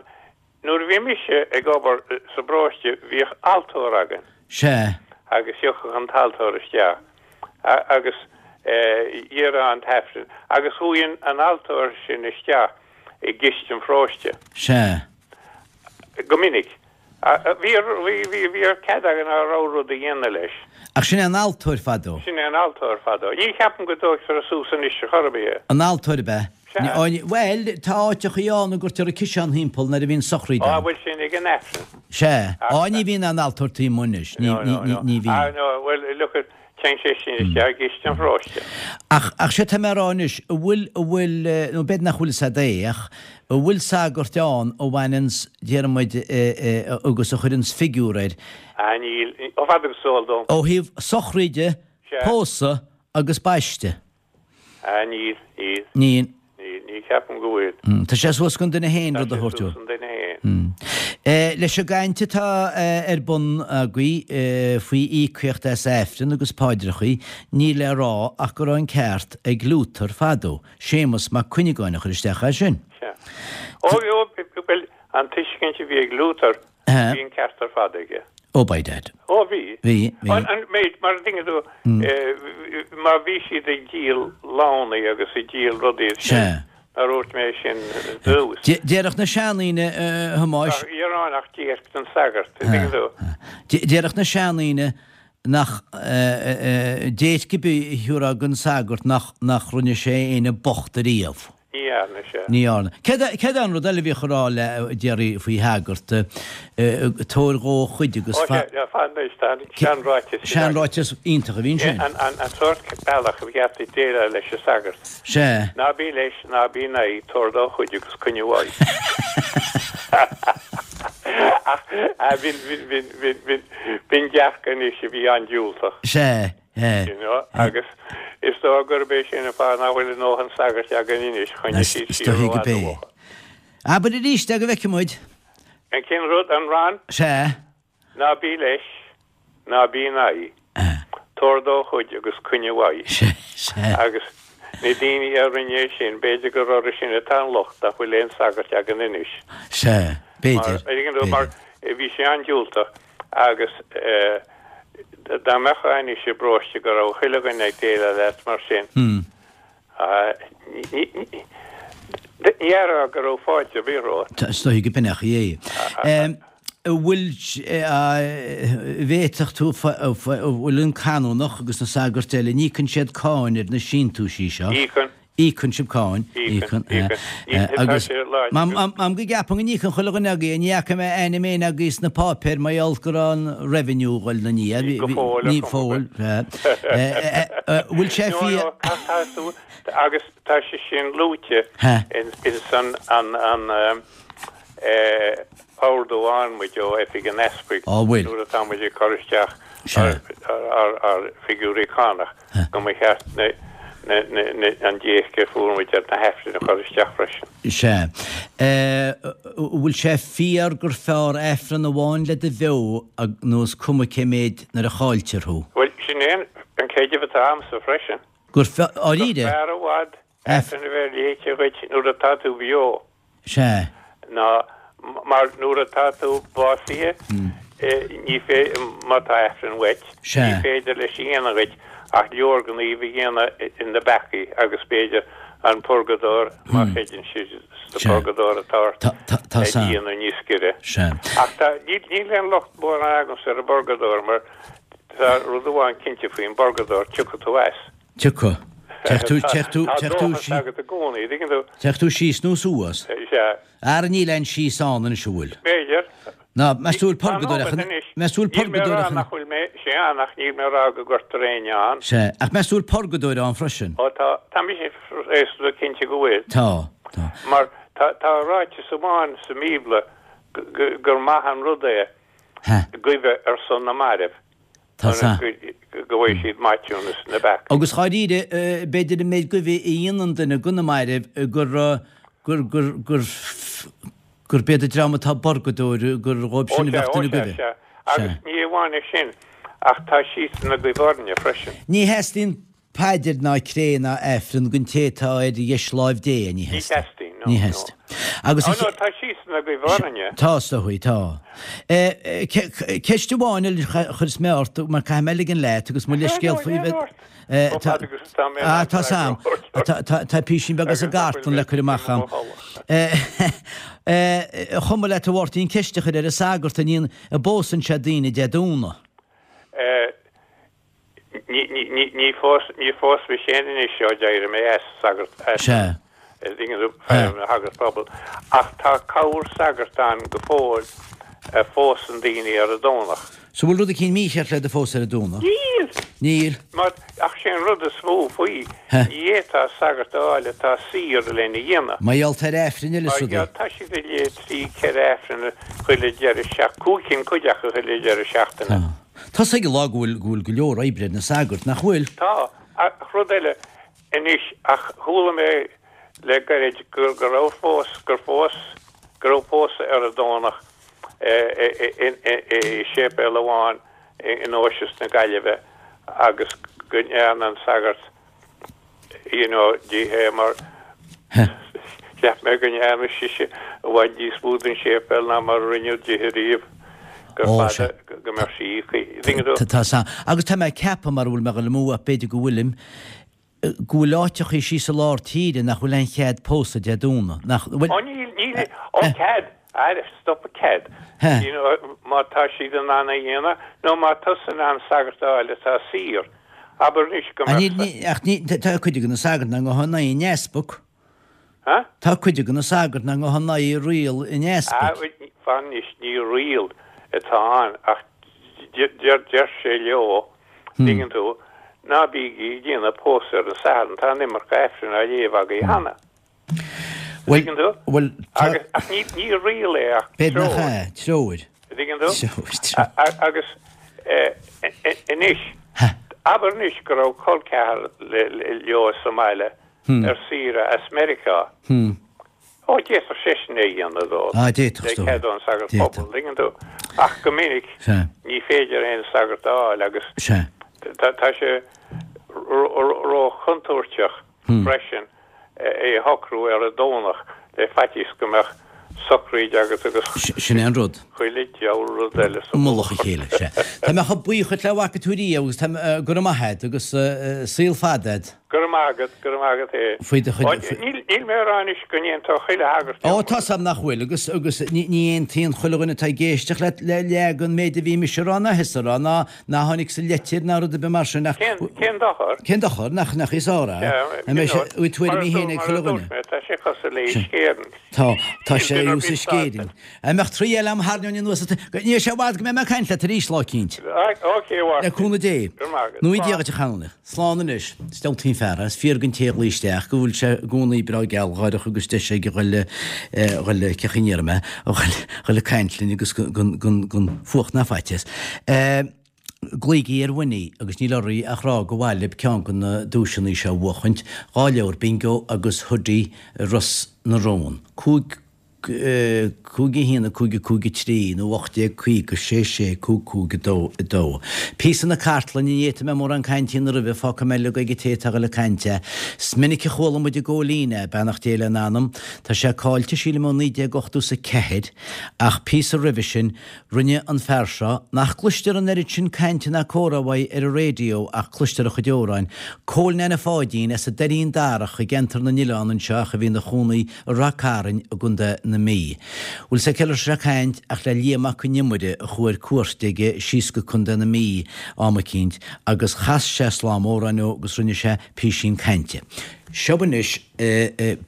nuair a bhí mise ag obair sa bparóiste bhíodh altóir againn. Sea. Agus thiocfadh an t-altóir isteach agus dhéarfá an t-aifreann agus chuaigh an altóir sin isteach i gciste an pharóiste. Sea. Go minic. Bhí, bhí, bhí cead againn ár rogha rud a dhéanamh leis. Ach sin é an altóir fadó. Sin é an altóir fadó. Ní cheapaim go dtógtar suas anois ar chor ar bith é. An altóir ab ea? Sea. Bhuel, tá áiteachaí ann a gcuirtear an ciseán thimpeall nuair a bhíonn sochraid ann. Á, bhuel sin ag an Aifreann. Sea. Á, ní bhíonn aon altóir taobh amuigh anois. Ní, ní, ní, ní bhíonn. Ah, no, bhuel, look at, Téann sé sin isteach i gciste an pharóiste. Ach, ach sé tá mé a rá anois, an bhfuil, an bhfuil, nó b'fhéidir nach bhfuil fhios a'd é, ach an bhfuil sagart ann a bhaineanns, déarfaidh muid, agus a chuireanns figiúr air. Ah, níl, chomh fada agus is eol dom. Ó thaobh sochraide, pósadh agus baiste. Ah, níl, níl. Níl. Níl, ní cheapaim go bhfuil. Tá sé suas don duine féin rud a thabhairt. Tá sé suas don duine féin. Leis an gcaint atá ar bun agaibh faoi íocaíocht as Aifreann agus paidreachaí, níl le rá ach go raibh an ceart ag Luther fadó, Séamus Mac Cuinneagáin a chuir isteach é sin. Sea. Ó, bhuel, an tuiscint a bhí ag Luther, bhí an ceart ar fad aige. Ó, by dad. Ó, bhí. Bhí, bhí. An méid, mar a dtuigeann tú, má bhí siad ag díol lánaí agus ag díol rudaí sin, Sea. nár dhúirt mé sin dtús. Déarfadh na seandaoine, a Thomáis. Nach iarrán ach déirc don sagart, a dtuigeann tú. Déarfadh na seandaoine nach, déirc ar bith a thiúrfá don sagart nach, nach rinne sé éinne bocht ariamh. Ní dhearna sé. Ní dhearna. Céard é an rud eile a bhíodh a rá le déarfaí faoi shagart, tabhair dhó a chuid agus Ó sea, fan anois, tá an seanráiteas sin agam. Seanráiteas iontach a bhí ansin. An sórt bealach a cheart duit déileáil leis an sagart. Sea. Ná bí leis, ná bí ina aghaidh, tabhair dó a chuid agus coinnigh uaidh. Ach b'in, b'in, b'in, b'in, b'in, b'in dearcadh anois a bhí an-diúltach. Sea. You know, agus is dóigh gurb é sin an fáth nach bhfuil a ndóthain sagairt againn anois, choinnigh siad Is siar dóichí ó gurb fhad é. uathu. Abair arís é go bhfeicfidh muid. An cén rud, an rann? Sea. Ná bí leis, ná bí ina aghaidh, tabhair dó a chuid agus coinnigh uaidh. Sea, sea. Agus na daoine a rinne é sin, b'fhéidir gur orthu sin atá an locht nach bhfuil aon sagairt againn anois. Sea, b'fhéidir, Mar, mar b'fhéidir. bhí sé an-diúltach agus eh, Dá mbeifeá anois i bparóiste go raibh chuile dhuine ag déileáil leat mar sin, ní déarfá go raibh fáilte ar bith romhat. Is dóichí go b'in é é. An bhfuil, bhféadfadh tú, an bhfuil an canónach agus na sagairt eile, an íocann siad cáin ar na síntiúisí seo? Íocann. Íocann sibh cáin. Íocann, Íocann. íocann. Tá Agus sé láidir. M'am go gceapaim go n-íocann chuile dhuine agaibh, ní fhaca mé ainm éinne agaibh sna páipéir mar gheall go raibh an revenue ag dul 'na ndiaidh. Go fóill, Ní ar fóill. chuma. Bhfuil sé No, fíor? no, tá tá tú, agus tá sé sin luaite Ha. in in san an an eh ordú a fhaigheann muid ó Oifig an Easpaig Á bhfuil. nuair atá muid ag cur isteach Sea. ár ár ár figiúirí cánach go mba cheart na an déirc a fuair muid ar na hAifrinn a chur isteach freisin. Sea. Bhfuil sé fíor gur fearr Aifreann amháin le do bheo nó is cuma cé méid nuair a chailltear thú? Bhuel, sin é an creideamh atá agamsa freisin. Gur fearr, dáiríre? Gur fearr i bhfad Aifreann a bheith léite dhuit nuair atá tú beo. Sea. Ná mar nuair atá tú básaithe, ní féidir, má tá Aifreann uait, ní féidir leis a dhéanamh dhuit ach leorghníomh a dhéanamh ina bpeacaí agus b'fhéidir an purgadóir, má chreideann siad sa phurgadóir atá ort, a dhéanamh níos giorra. Ach tá, níl aon locht mórán agamsa ar an bpurgadóir mar tá rud amháin cinnte faoin bpurgadóir, tiocfaidh tú as. Tiocfaidh. Tiocfaidh tú, Tá dóchas agat i gcónaí, dtuigeann tú? Tiocfaidh tú síos nó suas. Sea. Ara níl aon síos ann anois, an bhfuil? B'fhéidir. Ná, meas tú bhfuil purgadóir ach, meas tú bhfuil purgadóir ach. Níl mé a rá nach bhfuil mé, sea, ach níl mé a rá go gcuirtear éinne ann. Sea, ach meas tú bhfuil purgadóir ann freisin? Ó tá, tá mise réasúnta cinnte go bhfuil. Tá, tá. Mar tá, tá ráiteas amháin sa mBíobla gur maith an rud é guibhe ar son na mairbh. Tá sea. Go bhfaighidh siad maithiúnas na bpeacaí. Agus dháiríre, b'fhéidir an méid guibhe a dhéanann duine do na mairbh gur, gur, gur, gur, gurb iad an dream atá i bpurgadóir gur dhóibh sin a bheadh duine Ó sea, guibhe. sea. Agus ní amháin é sin, ach tá siadsan ag guibhe orainne freisin. Ní theastaíonn paidir ná cré ná Aifreann don té atá ar dheisláimh Dé, ní Ní theastaíonn. theastaíonn, no, Ní no. theastaíonn. Agus Ó no, tá siadsan ag guibhe orainne. Tá, is dóigh, tá. Ceist amháin eile a chuirfeas mé ort, mar caithfidh mé ligean leat agus mo leithscéal faoi bheith. Ah, tá sam. Tá písín beag as an gcartlann le cur amach a'm. Chomh maith leat a Mháirtín ceist a chur ar an sagart an bpósann sé daoine Dé Domhnaigh. Ní phósfaidh sé anois ó d'éirigh mé as sagart Sea. Shagart pobail. Ach tá corr sagart ann go fóill a phósann daoine ar an Domhnach. So bhfuil rud eicínt mícheart le do phósadh ar an Domhnach? Níl! Níl. Mar, ach sé an rud is mó faoi, ní fhéadfá sagart a fháil atá saor lena dhéanamh. Mar gheall ar Aifrinn eile is Mar gheall, rudaí. tá siad ag léamh trí, ceithre Aifreann chuile deireadh seachtaine, cúig cinn cuid acu chuile deireadh seachtaine. Tá. Tá's ag an lá go bhfuil, go bhfuil go leor oibre ar na sagairt, nach bhfuil? Tá. Ach rud eile anois, ach chuala mé le gairid go raibh fós, gur fós, go raibh pósadh ar an Domhnach i séipéal amháin i nDeoise na Gaillimhe agus go ndearna an sagart you know di é mar cheap mé go ndearna sise i bhfad níos mó don séipéal ná mar a rinneadh dithe riamh gur fada go mbeadh sí íoctha. Tá san. Agus tá mé ag ceapadh, mara bhfuil mé ag dul amú ach b'fhéidir go bhfuilim, go bhfuil áiteachaí síos i lár tíre nach bhfuil aon chead pósadh Dé Domhnaigh, nach bhfuil? Ó níl, níl, ó cead, aire, stop cead, you know, má tá siad in ann a dhéanamh, nó má tá tusa in ann sagart a fháil atá saor, abair anois go mbeadh. Ní, ach ní, tá cuid de na sagairt nach ngabhann in aghaidh an easpaig. Huh? Tá cuid de na sagairt nach ngabhann in aghaidh riail an easpaig. Ah, fan anois, ní riail atá ann ach deir, deir sé leo, Tuigeann tú? Ná bígí ag déanamh pósadh ar an Satharn, tá an iomarca Aifrinn á léamh agaibh cheana. Bhuel, Tuigeann tú? bhuel, tá. Agus, ach ní, ní riail é ach B'fhéidir nach treoir. ea, treoir. Tuigeann tú? Treoir, treoir. Agus anois, abair anois go raibh col ceathar leo sa mbaile ar saoire as Meiriceá. Ó, d'fhéadfadh seisean é a dhéanamh dó. Ah, d'fhéadfadh, Le is dóigh. cead ón sagart D'fhéadfadh. pobail, tuigeann tú. Ach go minic, Sea. ní féidir aon sagart a fháil agus Sea. tá tá sé ró-chontúirteach freisin é a shocrú ar an Domhnach le faitíos go mbeadh socraíd agat agus Sin é an rud. chuile diabhal rud eile sa I mullach a mhullach. chéile, sea. Tá mé chomh buíoch dhuit le bhfaca tú riamh agus tá mé, go raibh maith agat agus saol fada agat. Go raibh maith agat, go raibh maith agat é. Faoi do chuid, faoi. Níl, níl mé a rá anois go n-aontódh chuile shagart Ó, liom. tá's a'm nach bhfuil agus, agus ní, ní aontaíonn chuile dhuine atá ag éisteacht le, le, le an méid a bhí mise a rá ná thusa a rá ná, ná tháinig sa litir ná rud ar bith mar sin ach. Cén, cén dochar? Cén dochar? Nach, nach í sár é? Yeah, An mbeidh sé, you know, bhfuil tuairimí mar a féin ag dúirt chuile dhuine? mé, tá sé cosúil le hUisce Éireann. Tá, tá Níl sé duine ar thuas bith Uisce Éireann. An mbeadh trí eile a'm thairneoinn anuas, ní raibh sé i bhfad go mbeidh mé ag caint leat arís lá eicínt. Ok, a Le Mháirtín. cúnamh Dé. Go raibh maith agat. Nó Dia dhuit a Chanónach. Slán anois. Is diabhaltaí an fear é. Is fíor don té a ghlaoigh isteach go bhfuil sé i gcónaí breá gealgháireach agus deis aige dhul dhul cé chaoi a ndéarfaidh mé, dhul ag caint linn agus gan fuacht ná faitíos. Glaoigí ar Winnie agus níl oraibh ach rá gur mhaith libh ceann de na duaiseanna seo a bhuachaint, dhá leabhar Bingo agus Hoodie Ros na Rún. Cúig cúig a haon a cúig a cúig a trí nó ocht déag caoga sé sé cúig cúig a dó a dó. Píosa na cartlainne, ní fhéadfaidh mé mórán cainte a dhéanamh roimhe, fágfaidh mé uilig ag an té atá ag dul ag caint é. Is minic a chuala muid i gCóilín é, beannacht Dé lena anam. Tá sé caillte sílim ó naoi déag ochtó is a ceathair ach píosa roimhe sin rinne an fear seo, nach gcloistear an oiread sin cainte ná comhrá uaidh ar an raidió ach cloistear a chuid amhráin, Cóil Neaine Pháidín as an Doirín Darach i gceantar na nOileán anseo ach a bhí ina chónaí i Rath Cairn i gContae na Mí. Bhfuil sé cé leis ag caint ach le Liam Mac Con Iomaire a chuaigh ar cuairt aige síos go Contae na Mí am eicínt agus chas sé slám amhráin dó agus rinne sé písín cainte. Seo anois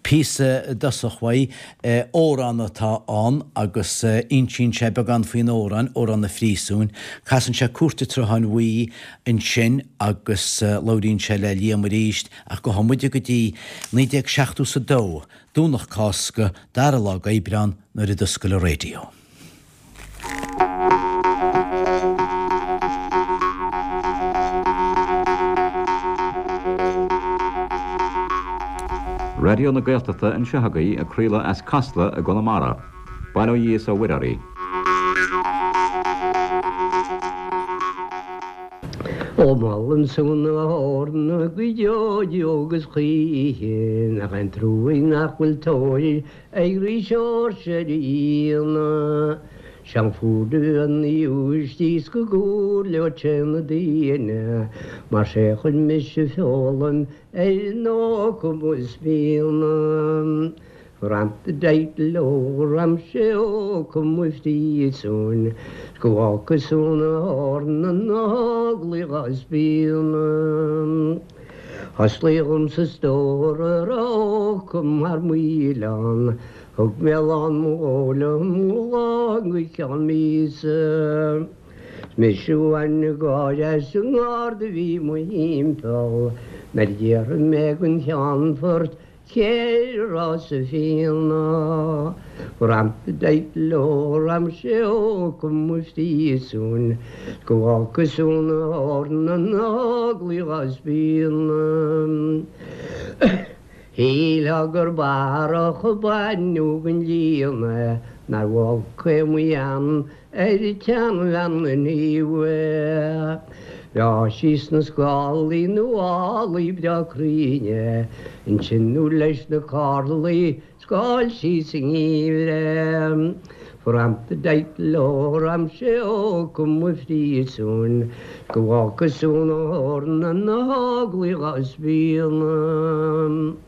píosa i dtosach uaidh, amhrán atá ann agus insíonn sé beagán faoin amhrán, Amhrán an Phríosúin. Casann sé Cúirt an tSrutháin Bhuí ansin agus labhraíonn sé le Liam arís ach gabhfaidh muide go dtí naoi déag seachtó is a dó, Domhnach Cásca, dara lá d'Aibreán, nuair a d'oscail an raidió. Raidió na Gaeltachta anseo agaibh ag craoladh as Casla i gConamara. Bail ó Dhia is ó Mhuire oraibh. Ó molaim son na hEorna go deo deo agus choíche, nach é an truaigh nach bhfuil tóir ag Rí Seoirse ar a fhíona. Sean fuair an iúistíos go gcúirleodh sé na daoine, mar sé chuir mise foghlaim ar nó cumas fíona. Ram-da-deit-leo ram-sé ó cum a phríosúin, 's go bhfágfaidh sú na heorna na heaglaí dhá spíonadh. Oslaigh dhomsa stór a raibh ocum thar maoil ann, thug mé lán mo dhó liom lá go ceann míosa. 'S mise a bhain an gáire as an ngarda a bhí mo thimpeall, nuair a d'fhiafraigh mé den Cheannfort cé a raibh sa bhfíona. Ram-da-deit-leo ram-sé ocum a phríosúin, 's go bhfágfaidh sú na heorna na heaglaí dhá spíonadh. Shílfeá gur barrach a baineadh den líon é, nár bh'olc é mo ghean ar an tseanbhean an é. Bheadh sí sna scálaí nuálaí breá cruinn é, ansin nó leis na cárlaí scáil sí sa ngeimhreadh. Ram-da-deit-leo ram-sé ocum a phríosúin, 's go bhfágfaidh sú na heorna na heaglaí dhá spíonadh.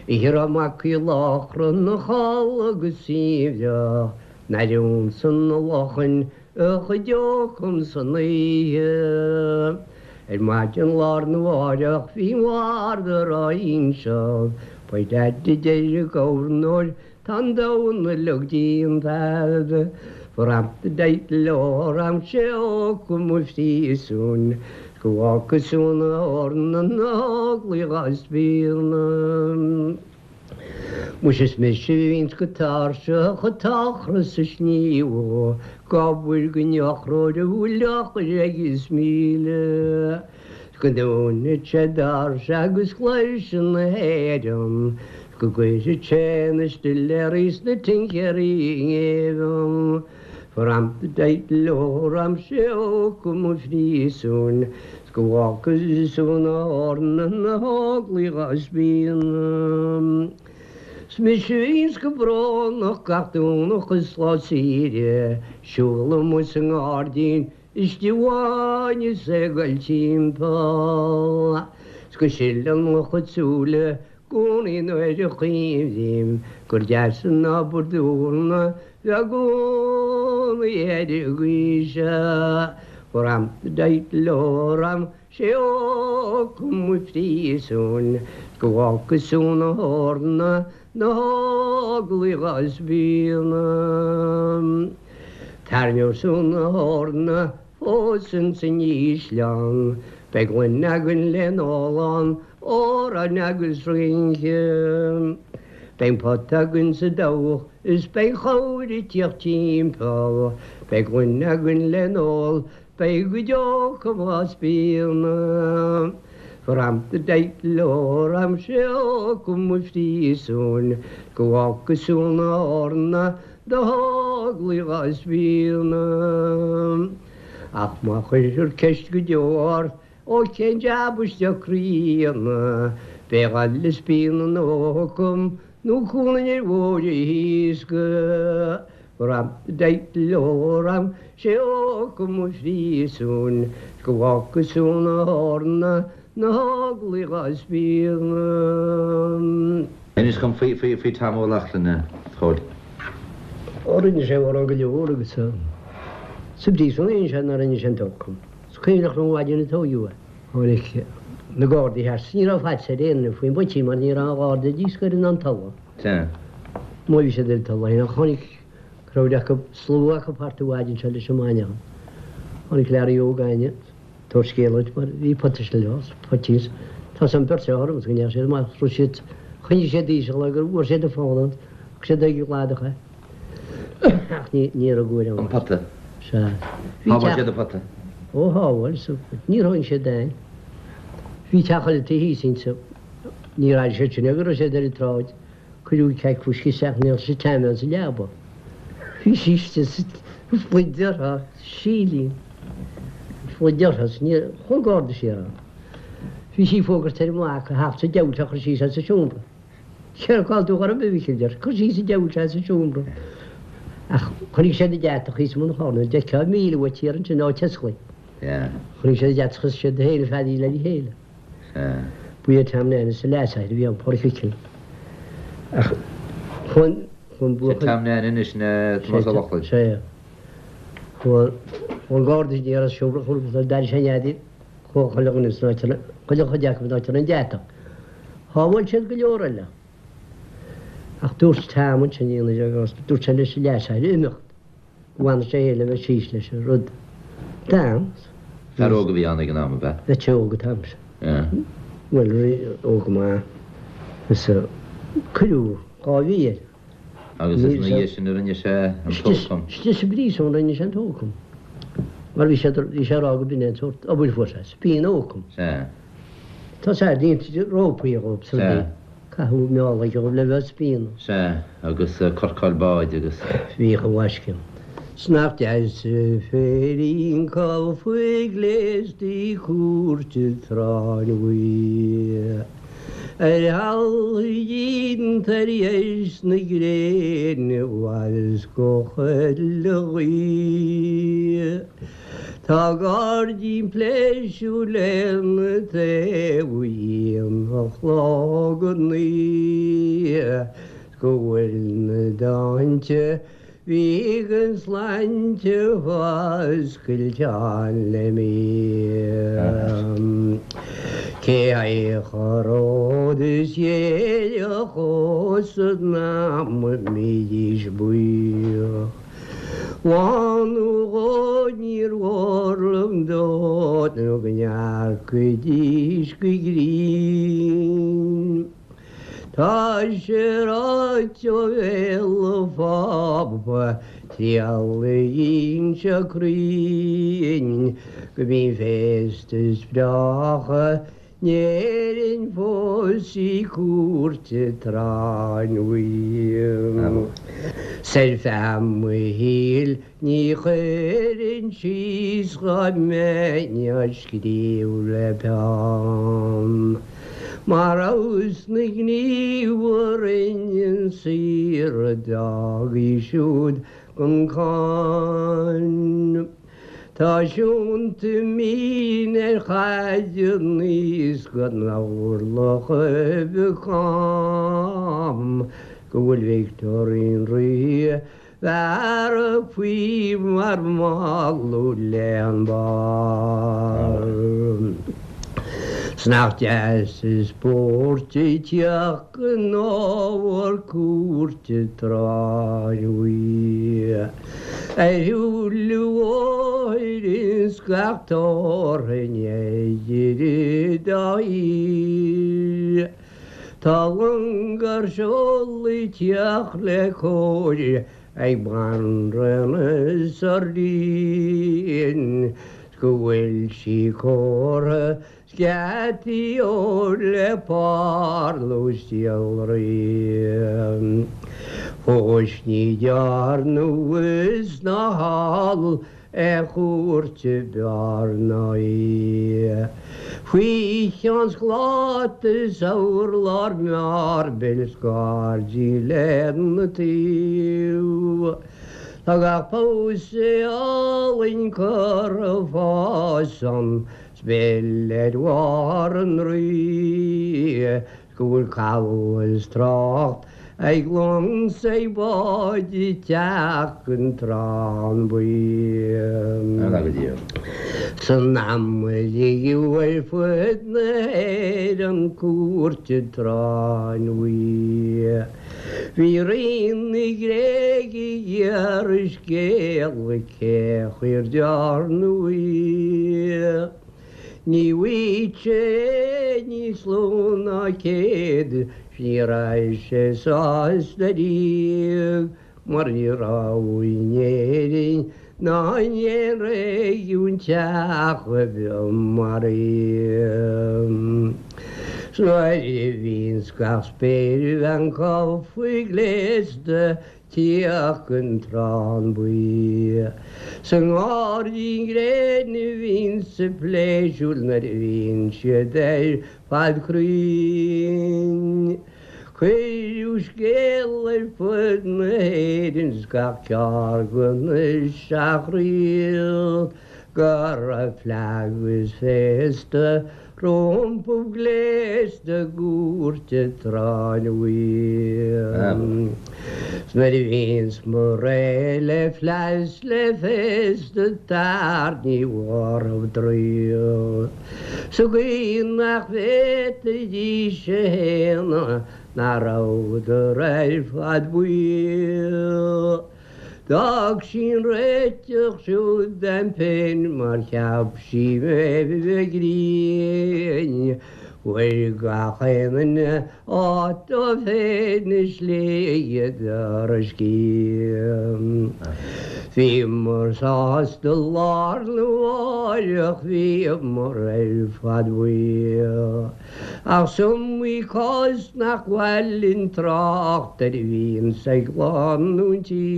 Oíche a raibh Mac Uí Láchra 'na chodladh go suaimhneach, nuair a d'ionsaigh na luchain a chuid ocum san oíche. Ar maidin lá arna mháireach bhí an bharda á inseacht, By dad a deir an gobharnóir, tá an domhan uilig déanta. Ram-da-deit-leo ram-sé ocum a phríosúin, 's go bhfágfaidh sú na heorna na heaglaí dhá spíonadh. Muise is mise a bhíonns go tairseach ag tachras sa sníomhadh, ag obair don eochróir a bhfuil eochair aige is míle. 's go ndúnfaidh sé doirse agus claimhse na hÉireann, 's go gcuirfidh sé na stiléaraí 's na tincéaraí i ngéibheann. Ram-da-deit-leo ram-sé ocum a phríosúin, 's go bhfágfaidh sú na heorna na heaglaí dhá spíonadh. 'S mise a bhíonns go brónach gach Domhnach is lá saoire, siúl amuigh sa ngairdín istigh amháin is é ag goil timpeall. 'S go sileann mo chuid súile i gcónaí nuair a chuimhním gur deas an obair d'eorna bheith i gcónaí ar an gcaoi seo. Ram-da-deit-leo ram-sé ocum a phríosúin, 's go bhfágfaidh sú na heorna na heaglaí dhá spíonadh. Tairneoidh sú na heorna fós ins an ísleán, beidh gloine againn le n-ól ann, amhráin agus rince. Beidh an pota againn sa dabhach is beidh an chabhair ag tíocht timpeall, beidh gloine againn le n-ól Beidh go deo go spíona. Fram the date lor am sé cum frísún go bhfáca súna orna do thóglaí spíona. Ach má chuir ceist go deo ó cén deabiste críonna, Beidh le spíona nócum nó cúna ar bhóir híosca. Ram date lor sé cum frísún go bhfáca súna orna na hóglaí spíona. Inis dom faoi faoi faoi Tom Ó Lochlainn a Chóil. Ó rinne sé amhrán go leor agus sa bpríosún a sé ná rinne sé an t-ócam. Is cuimhneach liom an mhaidin a tógadh é. Tháinig na Gardaí thart. Ní raibh faitíos ar aon duine faoin bpoitín mar ní raibh an Gharda díscoir in ann tolladh. Sea. Má bhí siad ar tolladh ach tháinig crowd acu, slua acu thart an mhaidin seo leis an mbainneachan. Tháinig Larry Óg againne tabhairt scéal duit mar bhí pota leo, poitín. Tá san beirt orm agus go ndeachaigh siad amach, raibh siad, choinnigh siad íseal gur bhfuair siad a fón ann, thug siad ag gladach é. Ach ní ní raibh guair ann. An pota? Sea. Shábháil siad an pota? Ó shábháil, so níor tháinig siad ann. Bhí teach eile taobh thíos insa, níor airigh siad sin go raibh siad ar an tsráid, cuireadh ceaig fuisce isteach ní raibh sé teann sa leaba. Bhí sí istigh sa phluid uirthi, sílín. Phluid uirthi, ní chomh garda sí ann. Bhí sí fógairt ar an mac a theacht sa diabhal a chur síos as an seomra. Céard cá tú orm a Mhicil deir, cur síos an diabhal as an seomra. Ach chonaic siad an deatach thíos i mbun an choirnéil, d'fheicfeá míle uait thiar ansin áit Tesclaí. Chonaic siad an deatach is siad féin a feadaíl le chéile. Ba é Tom Nanny sa leasathair a bhí ann, Pádraic Mhicil. Ach chun chun Sé Tom Nanny anois na Tomás Ó Lochlainn. Sé. Chun chun garda ní raibh seomra chun d'airigh sé neadaí chomh chuile dhuine san áit chuile chuid acu in áit an deatach. Shábháil siad go leor eile. Ach dúirt Tom ansin agus dúirt sé leis an leasathair imeacht. Go bhfanadh sé féin le bheith síos leis an rud. D'fhan. Fear óg a bhí ann ag an am, ab ea? Bheadh sé óg an t-am sin. Bhuel, óg go maith. Is cuireadh dhá mhí air. Agus is ina dhiaidh sin a rinne sé an t-ócam. Istigh sa bpríosún a rinne sé an t-ócam. Mar bhí sé bhí sé ag rá go b'in é an sórt obair fuair sé, spíon ócam. Sea. Tá sé déanta rópaí dhóibh sa Sea. Caitheadh meálaigh dhóibh le bheith spíonadh. Sea, agus corcáil báid agus. Bhíodh a bhaisce. 'S nach deas an féirín faoi ghléastaí cúirte tráth an bhuí. Ar thalamh tar éis na gréine bhfad go chuile ghaoth. Tá gairdín pléisiúir lena taobh a chlog a naoi go bhfuil na dánta bhí an sláinte foscailteán le mí. Cé choród is dhéile chos ná mídís buíoch. Bhánú níor mhór dó nó go ndearcaidís go grinn. Tá sé ráite ó bhéal an Phápa triallaíonn sé cruinn go mbíonn féasta is breátha in Éirinn fós i cúirt tráth an bhuí. 'S ar feadh mo shaoil ní chuirfinn síos dhá mbeinn á scríobh le peann. Mar fheabhas na gníomh a rinne an saor a d'fhág í siúd gan cáin. Tá siúnta mín ar chaid aníos gan orlach a bheith cam go bhfuil Victorine rí bhearradh faoi mar mhaladh le an barr. 'S nach deas is spóirt teach in ábhar cúirte tráth an bhuí. Ar shiúl bhóthair is gach tabharfainn idir dá thír. Tá long ar seoladh teach le cóir ag banríon is a ríon. go bhfuil sí córa sceataí óir le parlús iolraí. Fós ní dhearnadh is ná thall ar chúirt Bhearna í. Faoi cheann scláta is urlár mearbaill 's gairdí lena taobh. Tá gach pósadh álainn curtha fásan 's bail ar bharr an rí 's go bhfuil cabhail is trácht ag long 's ag báid ag teacht den Trán Buí. San am a ligeadh ar fud na hÉireann cúirt an tSráin Bhuí. Bhí rí na Gréige ag iarraidh scéala cé chaoi ar dearnadh í. Ní bhfaigheadh sé níos lú ná céad 's ní raibh sé sásta riamh mar ní raibh in Éirinn ná in aon réigiún teach ar bith mar í. 'S nuair a bhíonns gach spéirbhean gafa gléasta tíocht an Trán Buí. Sa ngairdín gréine a bhíonns a pléisiúr nuair a bhíonn siad ar fad cruinn. Cuireadh scéal ar fud na hÉireann 's gach ceard de na seacht ríocht go raibh fleadh is féasta rompu gléasta i gcúirt an tSráin Bhuí. 'S nuair a bhíonns muid réidh le fleadh 's le féasta tar ní mhairfeadh draíocht. Sa gcaoi nach bhféadfaidís a shéanadh nach rabhadar ar fad buí. D'fhág sí an réiteach siúd dom féin mar cheap sí mé bheith grinn. Fuair gach aon duine áit dó féin i slí ar a scíth. Bhíomar sásta lá arna mháireach bhíomar ar fad buí. Ach is iomaí cás nach mhaith linn trácht air a bhíonns ag lánúintí.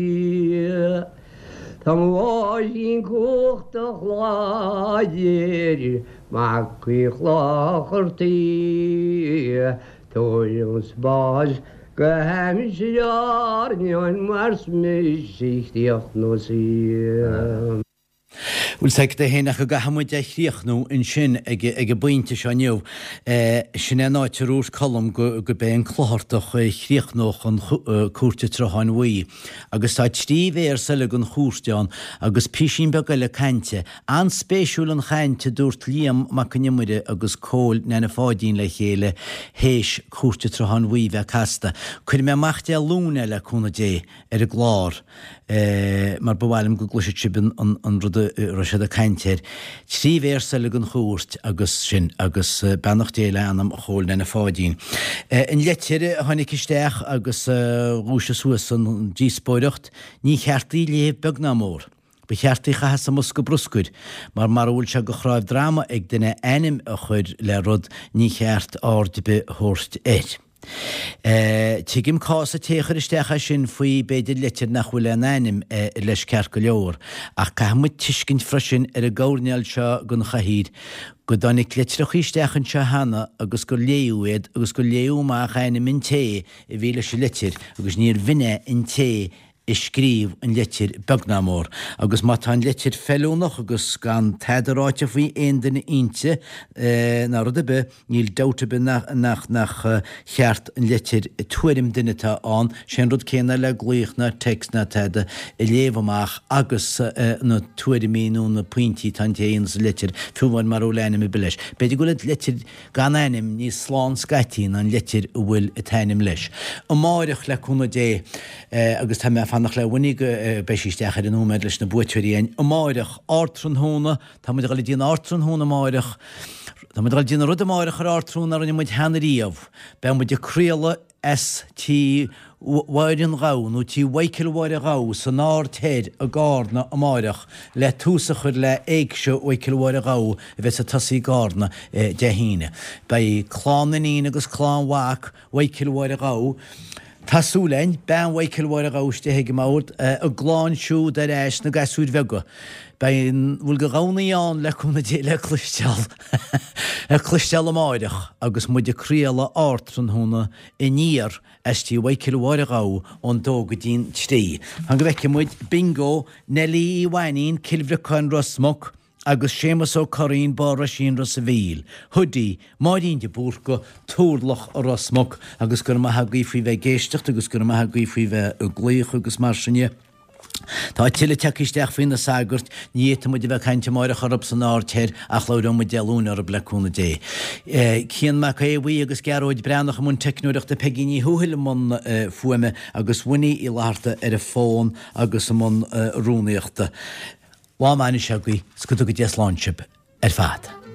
Tá mo mháithrín cumhachtach láidir, Mac Uí Chlochartaigh, Tabhair spás go haimsir airneáin mar 's mise a chríochnós í. Bhfuil 's agat é féin ach go gcaithfidh muid é a chríochnú ansin ag ag an bpointe seo inniu. Sin é an áit a dúirt Colm go go b'é an Clochartach a chríochnódh an Cúirt an tSrutháin Bhuí. Agus tá trí véarsa eile den chúirt ann agus písín beag eile cainte. An-spéisiúil an chaint a dúirt Liam Mac Con Iomaire agus Cóil Neaine Pháidín le chéile théis Cúirt an tSrutháin Bhuí bheith casta. Cuirfidh mé amach Dé Luain é le cúnamh Dé ar an gclár mar ba mhaith liom go gcloisfeadh sibh an rud a raibh siad ag caint air. Trí véarsa eile den chúirt agus sin agus beannacht Dé le anam Chóil Neaine Pháidín. An leitir a tháinig isteach agus a dhúisigh suas an díospóireacht, ní cheart í a léamh beag ná mór. Ba cheart í a chaitheamh sa mbosca bruscair, mar mara bhfuil sé de chnáimh droma ag duine ainm a chur le rud ní cheart aird ar bith a thabhairt air. Tuigim cás an té a chuir isteach é sin faoi b'fhéidir leitir nach bhfuil aon ainm leis ceart go leor, ach caithfidh muid tuiscint freisin ar an gcoirnéal seo den chathaoir go dtáinig litreacha isteach anseo cheana agus gur léadh iad agus gur léadh amach ainm an té a bhí leis an litir agus níor bh'in é an té a scríobh an litir beag ná mór. Agus má tá an litir feiliúnach agus gan tada ráite faoi aon duine inti ná rud ar bith, níl dabht ar bith nach nach cheart an litir, tuairim duine atá ann, sé an rud céanna le glaoch ná text ná tada, a léamh amach agus na tuairimí nó na pointí atá an té a dhéanas an litir, fiú amháin mara bhfuil ainm ar bith leis. B'fhéidir go bhfuil an litir gan ainm níos slán scaití ná an litir a bhfuil an t-ainm leis. Amáireach, le cúnamh Dé, agus tá mé ag fanacht le Winnie go beidh sí isteach ar an nóiméad leis na buaiteoirí againn amáireach, ardtráthnóna, tá muid ag dul ag déanamh ardtráthnóna amáireach, tá muid ag dul ag déanamh rud amáireach ar ardtráthnóna a rinne muid cheana riamh, beidh muid ag craoladh as Tí Mháire an Ghabha nó Tí Mhichael Mháire Ghabha san Aird Thoir i gCarna amáireach le tús a chur le Éigse Mhichael Mháire Ghabha a bheas ag tosaí i gCarna Dé hAoine. Beidh clann iníon agus clann mhac Mhichael Mháire Ghabha, tá súil againn, bean Mhichael Mháire Ghabha istigh ag an mbord, a gclann siúd ar ais na gasúir bheaga. Beidh an bhfuil go Dhomhnaigh ann le cúnamh Dé le cloisteáil le cloisteáil amáireach agus muid ag craoladh ardtráthnóna aniar as Tí Mhichael Mháire Ghabha ón dó go dtí'n trí. Fan go bhfeicfidh muid Bingo, Neilí Uí Mhainín, Cill Bhriocáin, Ros Muc, agus Séamus Ó Curraoin, Barr Oisín, Ros a' Mhíl, Hoodie, Máirín de Búrca, Turlach, Ros Muc, agus go raibh maith agaibh faoi bheith ag éisteacht agus go raibh maith agaibh faoi bheith ag glaoch agus mar sin de. Tá tuilleadh tagtha isteach faoi na sagairt, ní fhéadfaidh muid a bheith ag caint amáireach orthu san Aird Thoir ach labhróidh muid Dé Luain orthu le cúnamh Dé. Cian Mac Aodha Bhuí agus Gearóid Breathnach i mbun teicneoireachta, Peigí Ní Thuathail i mbun fuaime agus Winnie Uí Fhlatharta ar an bhfón agus i mbun rúnaíochta. Lá maith anois agaibh 's go dtuga Dia slán sibh ar fad.